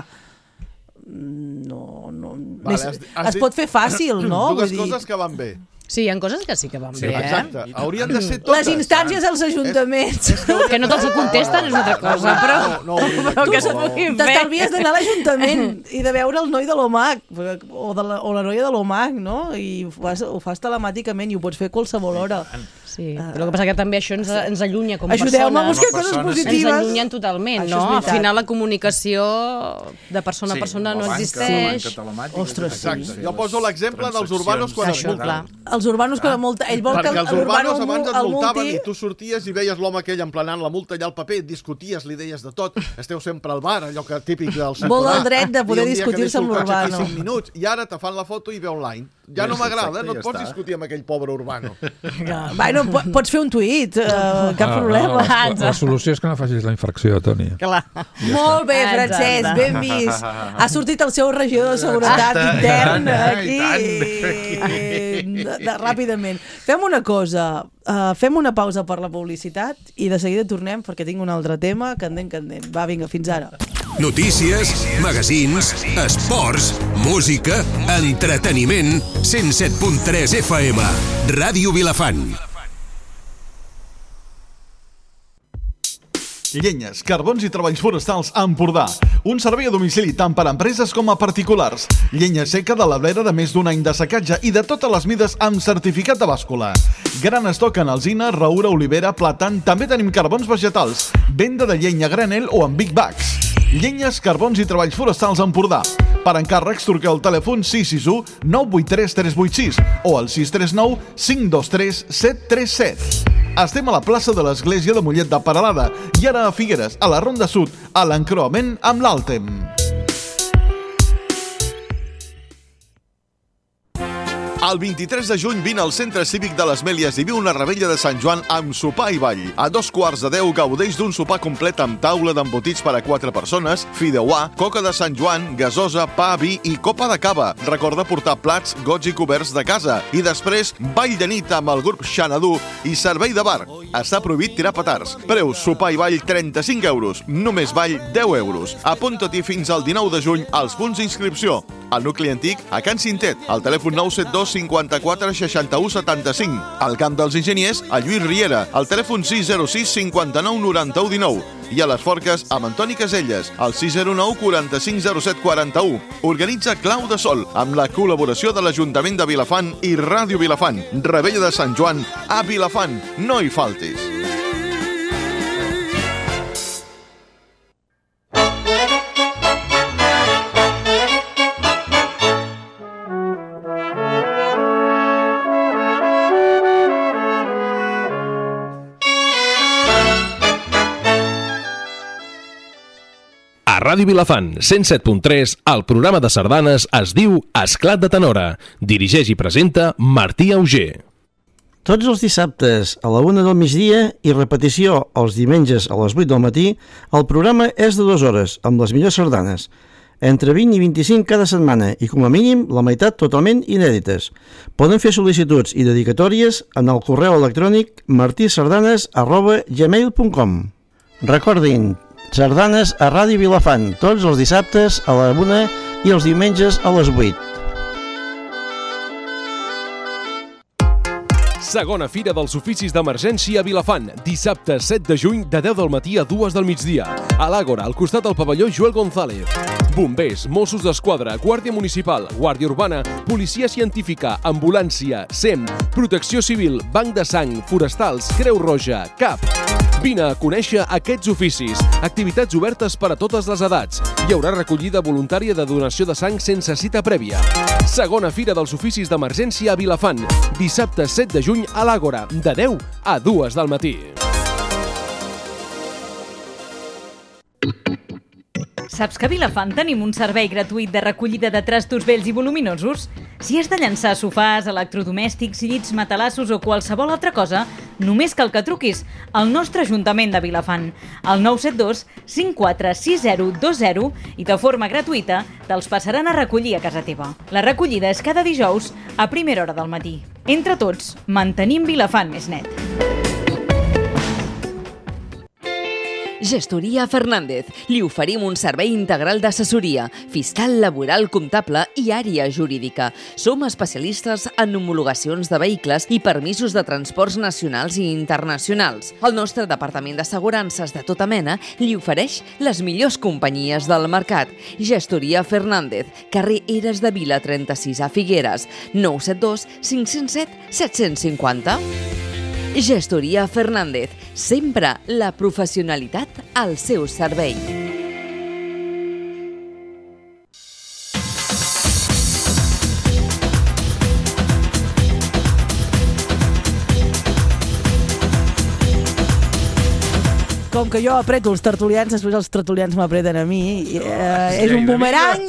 Es pot fer fàcil, no? Dues coses que van bé. Sí, hi ha coses que sí que van bé, exacte. Haurien de ser totes. Les instàncies als ajuntaments. Que no te'ls contesten és una altra cosa, però que s'ho puguin fer. T'estalvies d'anar a l'Ajuntament i de veure el noi de l'OMAC o la noia de l'OMAC, no? I ho fas telemàticament i ho pots fer a qualsevol hora. Sí, però el que passa que també això ens allunya com a persones. Ajudeu-me a buscar coses positives. Ens allunyen totalment, no? Al final la comunicació de persona a persona no existeix. Ostres, sí. Jo poso l'exemple dels urbanos quan es multen. Els urbanos quan es multen. Perquè els urbanos abans es multaven i tu sorties i veies l'home aquell emplenant la multa allà al paper, discuties, li deies de tot, esteu sempre al bar, allò que típic del ciutadà. Vol el dret de poder discutir-se amb l'urbano. I un dia que deixo el cotxe aquí 5 minuts i ara te fan la foto i ve online. Ja no m'agrada, no et pots discutir amb aquell pobre Urbano. Bueno, pots fer un tuit, cap problema. La solució és que no facis la infracció, Toni. Clar. Molt bé, Francesc, ben vist. Ha sortit el seu regidor de seguretat intern aquí ràpidament. Fem una cosa, fem una pausa per la publicitat i de seguida tornem perquè tinc un altre tema candent. Va, vinga, fins ara. Notícies, magazins, esports, música, entreteniment. 107.3 FM, Ràdio Vilafant. Llenyes, carbons i treballs forestals a Empordà. Un servei a domicili tant per a empreses com a particulars. Llenya seca de l'abrera de més d'un any de secatge i de totes les mides amb certificat de bàscula. Gran estoc en alzina, roure, olivera, plàtan. També tenim carbons vegetals. Venda de llenya a granel o en big bags. Llenyes, carbons i treballs forestals a Empordà. Per encàrrecs, truqueu al telèfon 661 983 386 o al 639 523 737. Estem a la plaça de l'Església de Mollet de Peralada i ara a Figueres, a la Ronda Sud, a l'encreuament amb l'Àltem. El 23 de juny vine al Centre Cívic de les Mèlies i viu una rebella de Sant Joan amb sopar i ball. A 2:15 gaudeix d'un sopar complet amb taula d'embotits per a 4 persones, fideuà, coca de Sant Joan, gasosa, pa, vi i copa de cava. Recorda portar plats, gots i coberts de casa. I després, ball de nit amb el grup Xanadu i servei de bar. Està prohibit tirar petards. Preus, sopar i ball 35 euros. Només ball 10 euros. Apunta-t'hi fins al 19 de juny als punts d'inscripció. Al nucli antic, a Can Cintet, al telèfon 972 54 61 75. Al Camp dels Enginyers, a Lluís Riera, al telèfon 606 59 91 19. I a les Forques, amb Antoni Caselles, al 609 45 07 41. Organitza Clau de Sol, amb la col·laboració de l'Ajuntament de Vilafant i Ràdio Vilafant. Rebella de Sant Joan a Vilafant. No hi faltis. A Ràdio Vilafant, 107.3, el programa de sardanes es diu Esclat de Tenora. Dirigeix i presenta Martí Auger. Tots els dissabtes a la 1 del migdia i repetició els diumenges a les 8 del matí, el programa és de 2 hores, amb les millors sardanes. Entre 20 i 25 cada setmana i, com a mínim, la meitat totalment inèdites. Poden fer sol·licituds i dedicatòries en el correu electrònic martisardanes@gmail.com. Recordin, sardanes a Ràdio Vilafant, tots els dissabtes a la 1 i els diumenges a les 8. Segona Fira dels Oficis d'Emergència a Vilafant, dissabte 7 de juny de 10 del matí a 2 del migdia. A l'Àgora, al costat del pavelló Joel González. Bombers, Mossos d'Esquadra, Guàrdia Municipal, Guàrdia Urbana, Policia Científica, Ambulància, SEM, Protecció Civil, Banc de Sang, Forestals, Creu Roja, CAP. Vine a conèixer aquests oficis. Activitats obertes per a totes les edats. Hi haurà recollida voluntària de donació de sang sense cita prèvia. Segona Fira dels Oficis d'Emergència a Vilafant, dissabte 7 de juny a l'Àgora, de 10 a 2 del matí. Saps que a Vilafant tenim un servei gratuït de recollida de trastos vells i voluminosos? Si has de llançar sofàs, electrodomèstics, llits, matalassos o qualsevol altra cosa, només cal que truquis al nostre Ajuntament de Vilafant, al 972 54 6020 i de forma gratuïta te'ls passaran a recollir a casa teva. La recollida és cada dijous a primera hora del matí. Entre tots, mantenim Vilafant més net. Gestoria Fernández. Li oferim un servei integral d'assessoria, fiscal, laboral, comptable i àrea jurídica. Som especialistes en homologacions de vehicles i permisos de transports nacionals i internacionals. El nostre departament d'assegurances de tota mena li ofereix les millors companyies del mercat. Gestoria Fernández, carrer Eres de Vila 36 a Figueres, 972 507 750. Gestoria Fernández, sempre la professionalitat al seu servei. com que jo apreto els tertulians, després els tertulians m'apreten a mi. És un bumerang,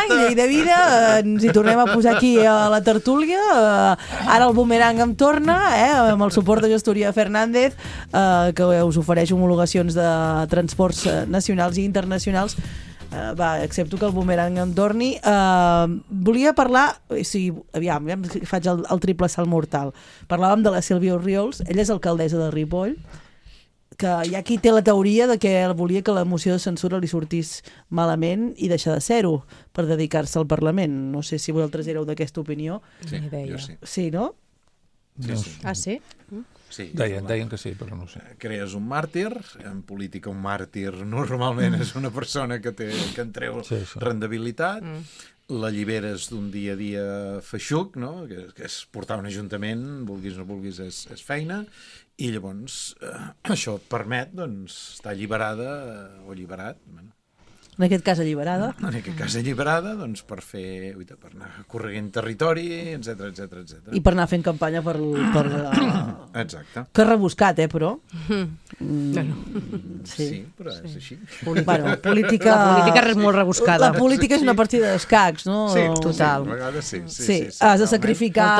llei de vida. Ens hi tornem a posar aquí a la tertúlia. Ara el bumerang em torna, amb el suport de Gestoria Fernández, que us ofereix homologacions de transports nacionals i internacionals. Accepto que el bumerang em torni. Volia parlar, aviam, faig el triple salt mortal. Parlàvem de la Sílvia Orriols, ella és alcaldessa de Ripoll, que hi ha qui té la teoria de que volia que la moció de censura li sortís malament i deixar de ser-ho per dedicar-se al Parlament. No sé si vosaltres éreu d'aquesta opinió. Sí, jo sí. Sí, no? Sí. Ah, sí? Sí, deien que sí, però no sé. Crees un màrtir, en política un màrtir normalment és una persona que en treu rendibilitat, l'alliberes d'un dia a dia feixuc, no? que és portar un ajuntament, vulguis o no vulguis, és feina, i llavors això et permet estar alliberada o alliberat, en aquest cas alliberada. En aquest cas alliberada, per anar corregint territori, etc. I per anar fent campanya per Exacte. Que rebuscat, però. Sí, però és així. Bueno, política... La política és molt rebuscada. La política és una partida d'escacs, no? Sí, total. A vegades sí. Has de sacrificar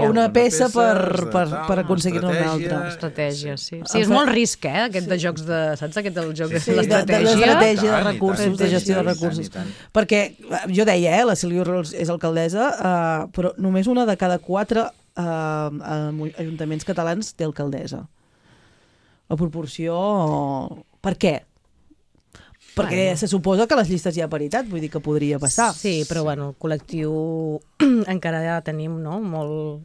una peça per aconseguir-ne una altra. Estratègia, sí. Sí, és molt risc, aquest de jocs de... Saps aquest el joc de l'estratègia de recursos, de gestió de recursos. Perquè jo deia, la Sílvia Orriols és alcaldessa, però només una de cada 4 ajuntaments catalans té alcaldessa. La proporció... Per què? Perquè se suposa que a les llistes hi ha paritat, vull dir que podria passar. Sí, però el col·lectiu encara ja tenim,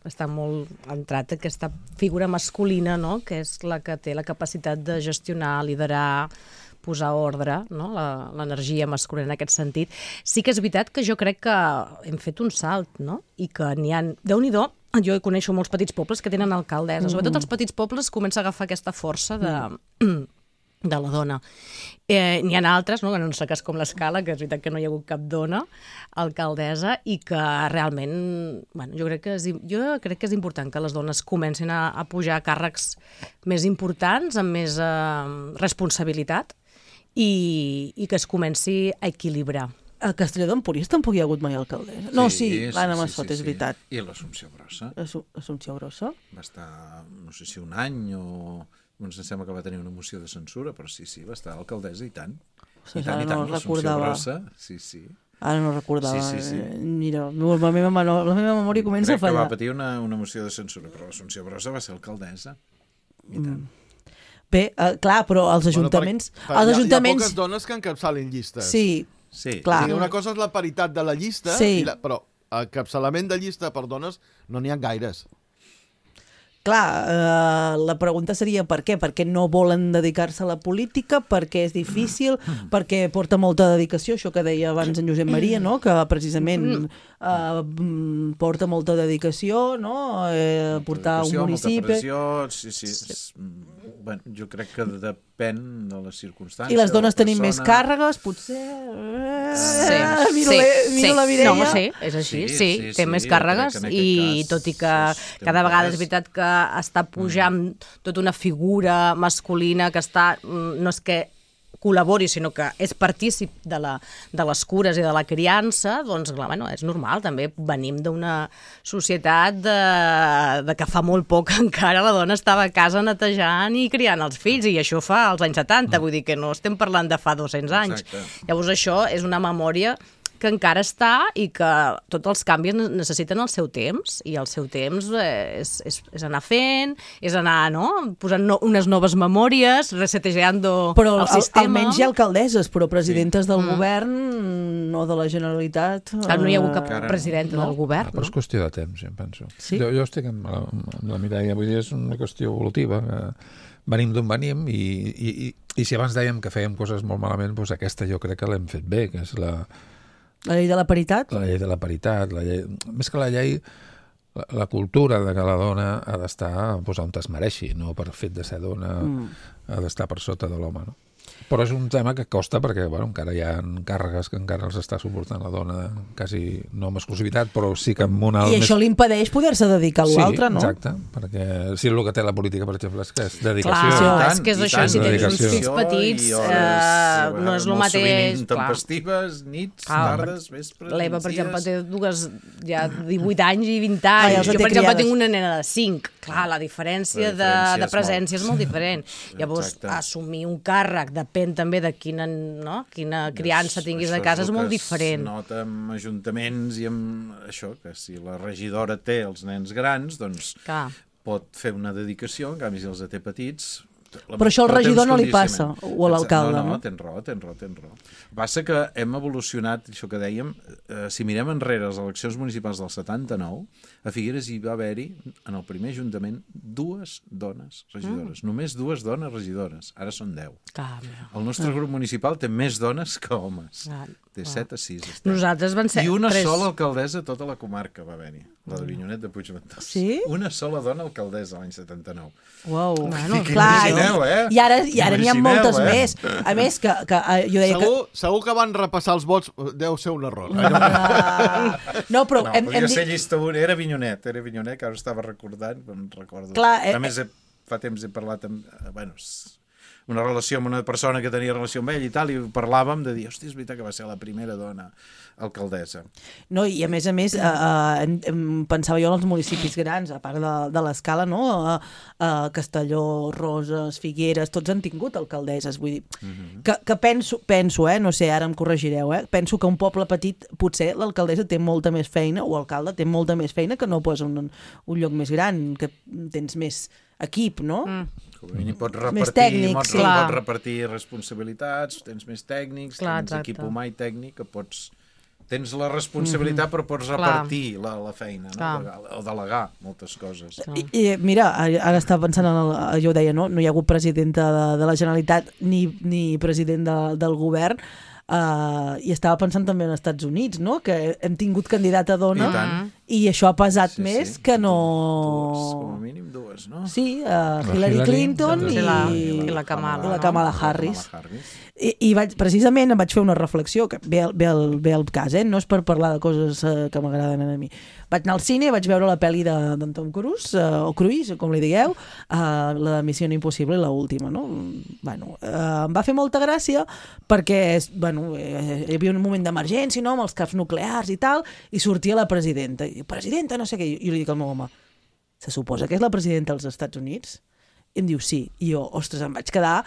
està molt entrat aquesta figura masculina, que és la que té la capacitat de gestionar, liderar, posar ordre, l'energia masculina en aquest sentit. Sí que és veritat que jo crec que hem fet un salt, i que n'hi ha... Déu-n'hi-do, jo coneixo molts petits pobles que tenen alcaldessa. Sobretot els petits pobles comença a agafar aquesta força de la dona. N'hi ha altres, en un cas com l'Escala, que és veritat que no hi ha hagut cap dona alcaldessa i que realment, jo crec que és important que les dones comencin a pujar a càrrecs més importants, amb més responsabilitat i que es comenci a equilibrar. A Castelló d'Empúries tampoc hi ha hagut mai alcaldessa. No, sí, l'Anna Massot, és veritat. I l'Assumpció Grossa. L'Assumpció Grossa? Va estar, no sé si un any o... Em sembla que va tenir una moció de censura, però sí, va estar alcaldessa i tant. I tant, l'Assumpció Grossa. Sí. Ara no recordava. Sí. Mira, la meva memòria comença a fallar. Crec que va patir una moció de censura, però l'Assumpció Grossa va ser alcaldessa. I tant. Bé, clar, però els ajuntaments... Hi ha poques dones que encapçalin llistes. Sí, clar. Una cosa és la paritat de la llista, però encapçalament de llista per dones no n'hi ha gaires. Clar, la pregunta seria per què? Per què no volen dedicar-se a la política? Perquè és difícil? Perquè porta molta dedicació? Això que deia abans en Josep Maria, no? Que precisament porta molta dedicació, no? Portar un municipi... Molta pressió, sí. Bueno, jo crec que depèn de les circumstàncies. I les dones tenim més càrregues, potser... Miro la Mireia. No, sí, és així, sí, té més càrregues i tot i que cada vegada és veritat que està pujant tota una figura masculina que està, no és que col·labori, sinó que és partícip de les cures i de la criança, doncs clar, és normal, també venim d'una societat de que fa molt poc encara la dona estava a casa netejant i criant els fills, i això fa als anys 70, vull dir que no estem parlant de fa 200 anys. Exacte. Llavors això és una memòria que encara està i que tots els canvis necessiten el seu temps, i el seu temps és anar fent, és anar posant unes noves memòries, resetejant el sistema. Però almenys hi ha alcaldesses, però presidentes del govern o de la Generalitat... No hi ha hagut cap presidenta del govern. Però és qüestió de temps, em penso. Sí? Jo estic amb la Mireia, vull dir, és una qüestió evolutiva. Venim d'on venim i si abans dèiem que fèiem coses molt malament, doncs aquesta jo crec que l'hem fet bé, que és la llei de la paritat? La llei de la paritat. Més que la llei, la cultura de que la dona ha d'estar on es mereixi, no per fet de ser dona ha d'estar per sota de l'home, no? Però és un tema que costa perquè encara hi ha càrregues que encara els està suportant la dona, quasi no amb exclusivitat, però sí que amb una... I això l'impedeix poder-se dedicar a l'altre, no? Sí, exacte, perquè si el que té la política, per exemple, és que és dedicació. Clar, és que és això, si tens uns fills petits, no és el mateix. Sovint intempestives, nits, tardes, vespres, l'Eva, per exemple, té dues, ja 18 anys i 20 anys. Jo, per exemple, tinc una nena de 5. Clar, la diferència de presència és molt diferent. Llavors, assumir un càrrec depèn també de quina criança tinguis a casa, és molt diferent. Es nota amb ajuntaments i amb això, que si la regidora té els nens grans, doncs pot fer una dedicació, en canvi si els té petits... Però això al regidor no li passa, o a l'alcalde, no? Tens raó. Passa que hem evolucionat, això que dèiem, si mirem enrere les eleccions municipals del 79, a Figueres hi va haver-hi, en el primer ajuntament, 2 dones regidores. Només 2 dones regidores. Ara són 10. El nostre grup municipal té més dones que homes. Té 7 a 6. Nosaltres van ser... I una sola alcaldessa a tota la comarca va haver-hi, la d'Avinyonet de Puigventós. Sí? Una sola dona alcaldessa l'any 79. Uau, clar, i ara n'hi ha moltes més. A més, que jo deia que... Segur que van repassar els vots, deu ser un error. No, però... Podria ser llista una, era Avinyonet, que ara estava recordant, em recordo. A més, fa temps he parlat amb... una relació amb una persona que tenia relació amb ell i tal, i parlàvem de dir, hòstia, és veritat que va ser la primera dona alcaldessa. No, i a més, pensava jo en els municipis grans, a part de l'escala, no? Castelló, Roses, Figueres, tots han tingut alcaldesses, vull dir, que penso, no sé, ara em corregireu, penso que un poble petit, potser l'alcaldessa té molta més feina, o l'alcalde té molta més feina que no pas un lloc més gran, que tens més equip, no? Pots repartir responsabilitats, tens més tècnics, tens equip humà i tècnic, que tens la responsabilitat però pots repartir la feina, o delegar moltes coses. I mira, ara estava pensant, jo ho deia, no hi ha hagut presidenta de la Generalitat ni president del govern, i estava pensant també als Estats Units, no? Que hem tingut candidata dona i això ha pesat més que no... Com a mínim 2, no? Sí, Hillary Clinton i la Kamala Harris. I precisament em vaig fer una reflexió, que ve al cas, no és per parlar de coses que m'agraden a mi. Vaig anar al cine, vaig veure la pel·li d'en Tom Cruise, o Cruise, com li digueu, la Missió Impossible, l'última, no? Em va fer molta gràcia perquè, hi havia un moment d'emergència, no?, amb els caps nuclears i tal, i sortia la presidenta. I presidenta, no sé què, i li dic al meu home, se suposa que és la presidenta dels Estats Units? I em diu sí. I jo, ostres, em vaig quedar...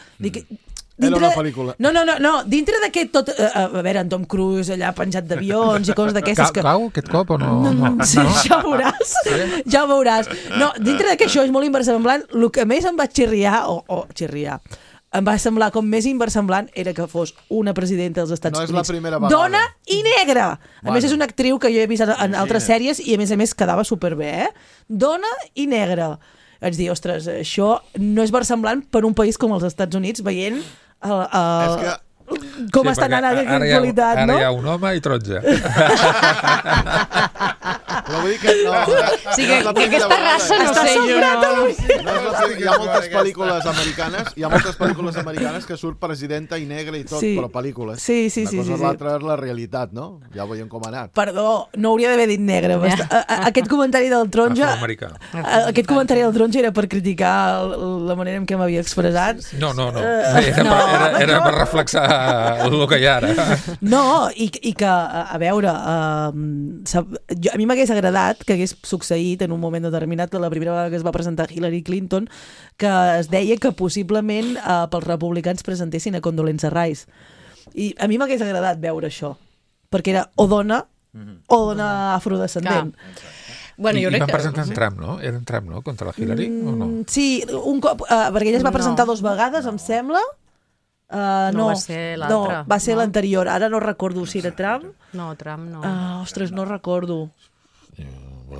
Era una pel·lícula. No, dintre d'aquest tot... A veure, en Tom Cruise allà penjat d'avions i coses d'aquestes... Cau aquest cop o no? Sí, ja ho veuràs. Ja ho veuràs. No, dintre d'aquest això és molt inversemblant. El que més em va xirriar, em va semblar com més inversemblant era que fos una presidenta dels Estats Units. No és la primera vegada. Dona i negra! A més, és una actriu que jo he vist en altres sèries i, a més, quedava superbé, Dona i negra. Vaig dir, ostres, això no és versemblant per un país com els Estats Units, veient com està anant aquesta qualitat, no? Ara hi ha un home i 13. Però vull dir que no... Sí, que aquesta raça no sé jo. Hi ha moltes pel·lícules americanes que surt presidenta i negra i tot, però pel·lícules. Sí. Una cosa l'altra és la realitat, no? Ja veiem com ha anat. Perdó, no hauria d'haver dit negra. Aquest comentari del taronja... Aquest comentari del taronja era per criticar la manera en què m'havia expressat. No. Era per reflexar el que hi ha ara. No, i que, a veure, a mi m'hagués agradat que hagués succeït en un moment determinat, la primera vegada que es va presentar Hillary Clinton, que es deia que possiblement pels republicans presentessin a Condoleezza Rice. I a mi m'hagués agradat veure això, perquè era o dona afrodescendent. I van presentar en Trump, no? Era en Trump, no? Contra la Hillary, o no? Sí, un cop, perquè ella es va presentar 2 vegades, em sembla. No, va ser l'altre. No, va ser l'anterior. Ara no recordo si era Trump. No, Trump no. Ostres, no recordo.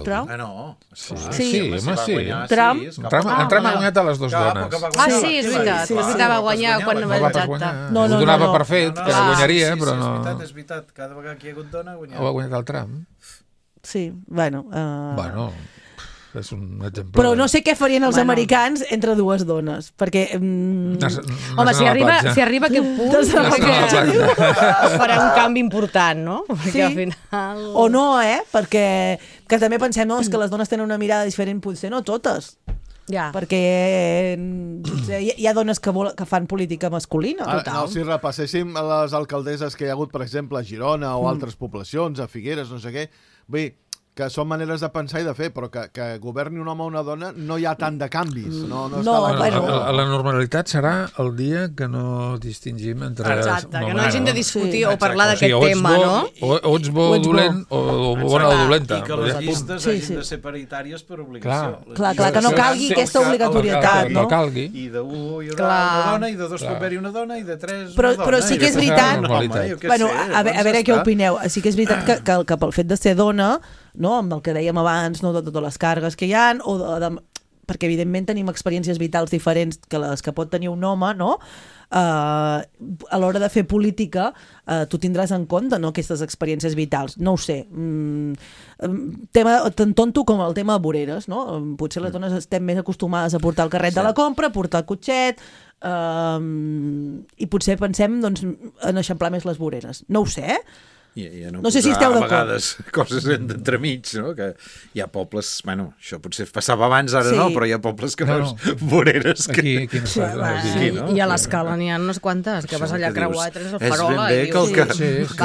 Trump? No. Sí, home, sí. Trump? En Trump ha guanyat a les 2 dones. Sí, és veritat. Va guanyar quan va exacte. Ho donava per fet, que no guanyaria, però no... És veritat. Cada vegada que hi ha hagut dona, ha guanyat el Trump. Sí, bueno... és un exemple. Però no sé què farien els americans entre dues dones, perquè... Home, si arriba a aquest punt, farà un canvi important, no? Perquè al final... O no, perquè que també pensem que les dones tenen una mirada diferent, potser no totes. Ja. Perquè hi ha dones que fan política masculina. No, si repasséssim les alcaldesses que hi ha hagut, per exemple, a Girona o altres poblacions, a Figueres, no sé què, vull dir, que són maneres de pensar i de fer, però que governi un home o una dona no hi ha tant de canvis. La normalitat serà el dia que no distingim entre... Exacte, que no hagin de discutir o parlar d'aquest tema, no? O ets bo dolent o bona o dolenta. I que les llistes hagin de ser paritàries per obligació. Clar, que no calgui aquesta obligatorietat, no? I de 1 hi haurà una dona, i de 2 pot haver-hi una dona, i de 3 una dona. Però sí que és veritat... Bueno, a veure què opineu. Sí que és veritat que pel fet de ser dona, no, amb el que dèiem abans, no, de totes les càrregues que hi ha, perquè evidentment tenim experiències vitals diferents que les que pot tenir un home, no? A l'hora de fer política tu tindràs en compte, no, aquestes experiències vitals. No ho sé. Tema tan tonto com el tema de voreres, no? Potser les dones estem més acostumades a portar el carret de la compra, a portar el cotxet, i potser pensem en eixamplar més les voreres. No ho sé, No sé si esteu d'acord. A vegades coses d'entremig, no? Que hi ha pobles... Bueno, això potser passava abans, ara no, però hi ha pobles que veus voreres que... Aquí no es fa. I a l'escala n'hi ha unes quantes, que vas allà a creuar i tens el farola i dius... És ben bé que el que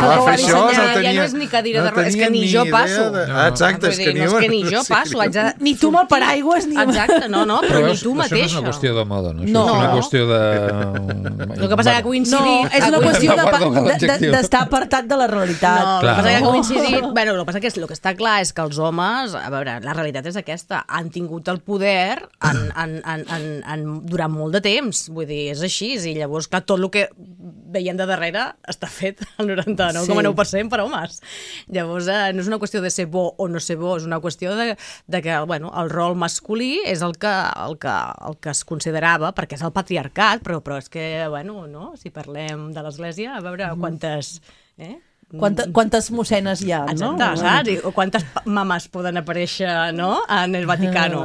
va fer això no tenia... Ja no és ni cadira de rodes, és que ni jo passo. Exacte, és que ni jo passo. Ni tu amb el paraigües, ni... Exacte, no, però ni tu mateixa. Això no és una qüestió de moda, no? Això és una qüestió de... El que passa que ha coincidit... No, és una qüestió d'estar apartat de la realitat. No, el que passa que ha coincidit... Bueno, el que passa que el que està clar és que els homes, a veure, la realitat és aquesta, han tingut el poder durant molt de temps, vull dir, és així, i llavors, clar, tot el que veiem de darrere està fet al 99,9% per homes. Llavors, no és una qüestió de ser bo o no ser bo, és una qüestió de que, bueno, el rol masculí és el que es considerava, perquè és el patriarcat, però és que, bueno, no? Si parlem de l'Església, a veure quantes... Quantes mossenes hi ha, no? Exacte, saps? O quantes mames poden aparèixer, no?, en el Vaticano.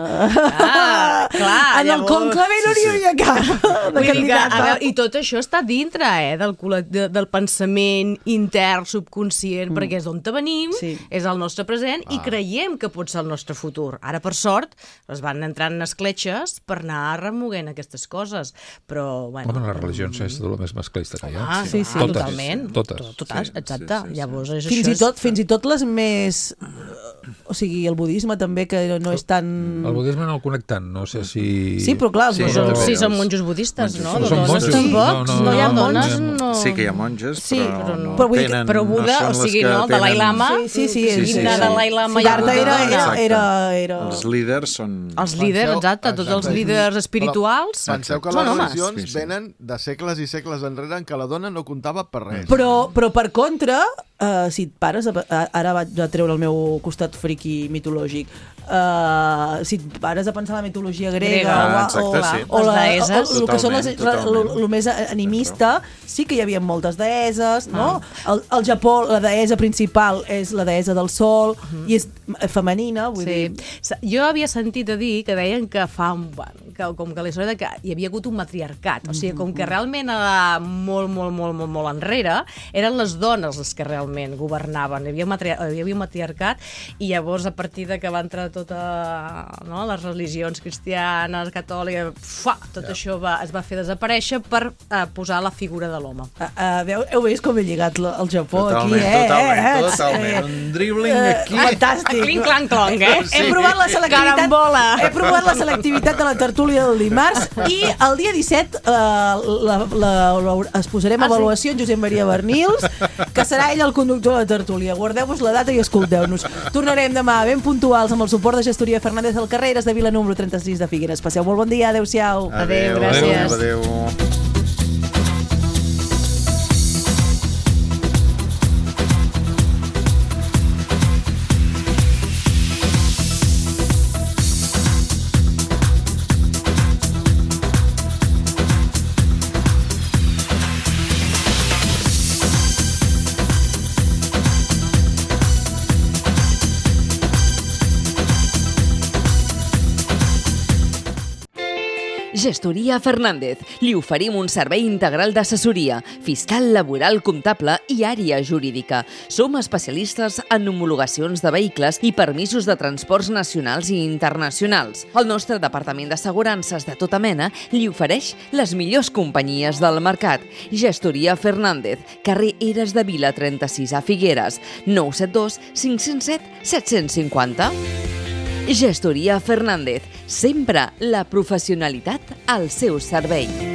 Clar, en el conclave no n'hi hauria cap. I tot això està dintre del pensament intern, subconscient, perquè és d'on venim, és el nostre present, i creiem que pot ser el nostre futur. Ara, per sort, es van entrant en escletxes per anar remoguent aquestes coses, però, bueno... Les religions és de lo més masclista que hi ha. Sí, totalment. Totes. Exacte. Llavors, fins i tot les més... O sigui, el budisme també, que no és tan... El budisme no el conec tant, no sé si... Sí, però clar... Sí, són monjos budistes, no? Són monjos? No hi ha monjos, no... Sí que hi ha monges, però no tenen... Però Buda, o sigui, no? Dalai Lama... Sí. Dalai Lama... era... Els líders són... Els líders, exacte, tots els líders espirituals són homes. Penseu que les religions venen de segles i segles enrere en què la dona no comptava per res. Però per contra, si et pares... Ara vaig a treure el meu costat friqui mitològic. Si et pares a pensar la mitologia grega o el que són el més animista, sí que hi havia moltes deesses, no? Al Japó la deessa principal és la deessa del sol i és femenina, vull dir... Jo havia sentit a dir que deien que com que la història que hi havia hagut un matriarcat, o sigui, com que realment molt enrere eren les dones les que realment governaven, hi havia un matriarcat, i llavors a partir de que va entrar tota les religions cristianes, catòliques, tot això es va fer desaparèixer per posar la figura de l'home. Heu vist com he lligat el Japó aquí, Totalment, un dribbling aquí. Fantàstic. Clinc-clanc-clonc, He provat la selectivitat de la tertúlia del dimarts i el dia 17 es posarem a avaluació en Josep Maria Bernils, que serà ell el conductor de la tertúlia. Guardeu-vos la data i escolteu-nos. Tornarem demà ben puntuals amb el suport de Gestoria Fernández del Carreras de Vila número 36 de Figueres. Passeu molt bon dia, adeu-siau. Adeu, gràcies. Adeu. Gestoria Fernández. Li oferim un servei integral d'assessoria, fiscal, laboral, comptable i àrea jurídica. Som especialistes en homologacions de vehicles i permisos de transports nacionals i internacionals. El nostre departament d'assegurances de tota mena li ofereix les millors companyies del mercat. Gestoria Fernández, carrer Eres de Vila 36 a Figueres, 972 507 750. Gestoria Fernández, sempre la professionalitat al seu servei.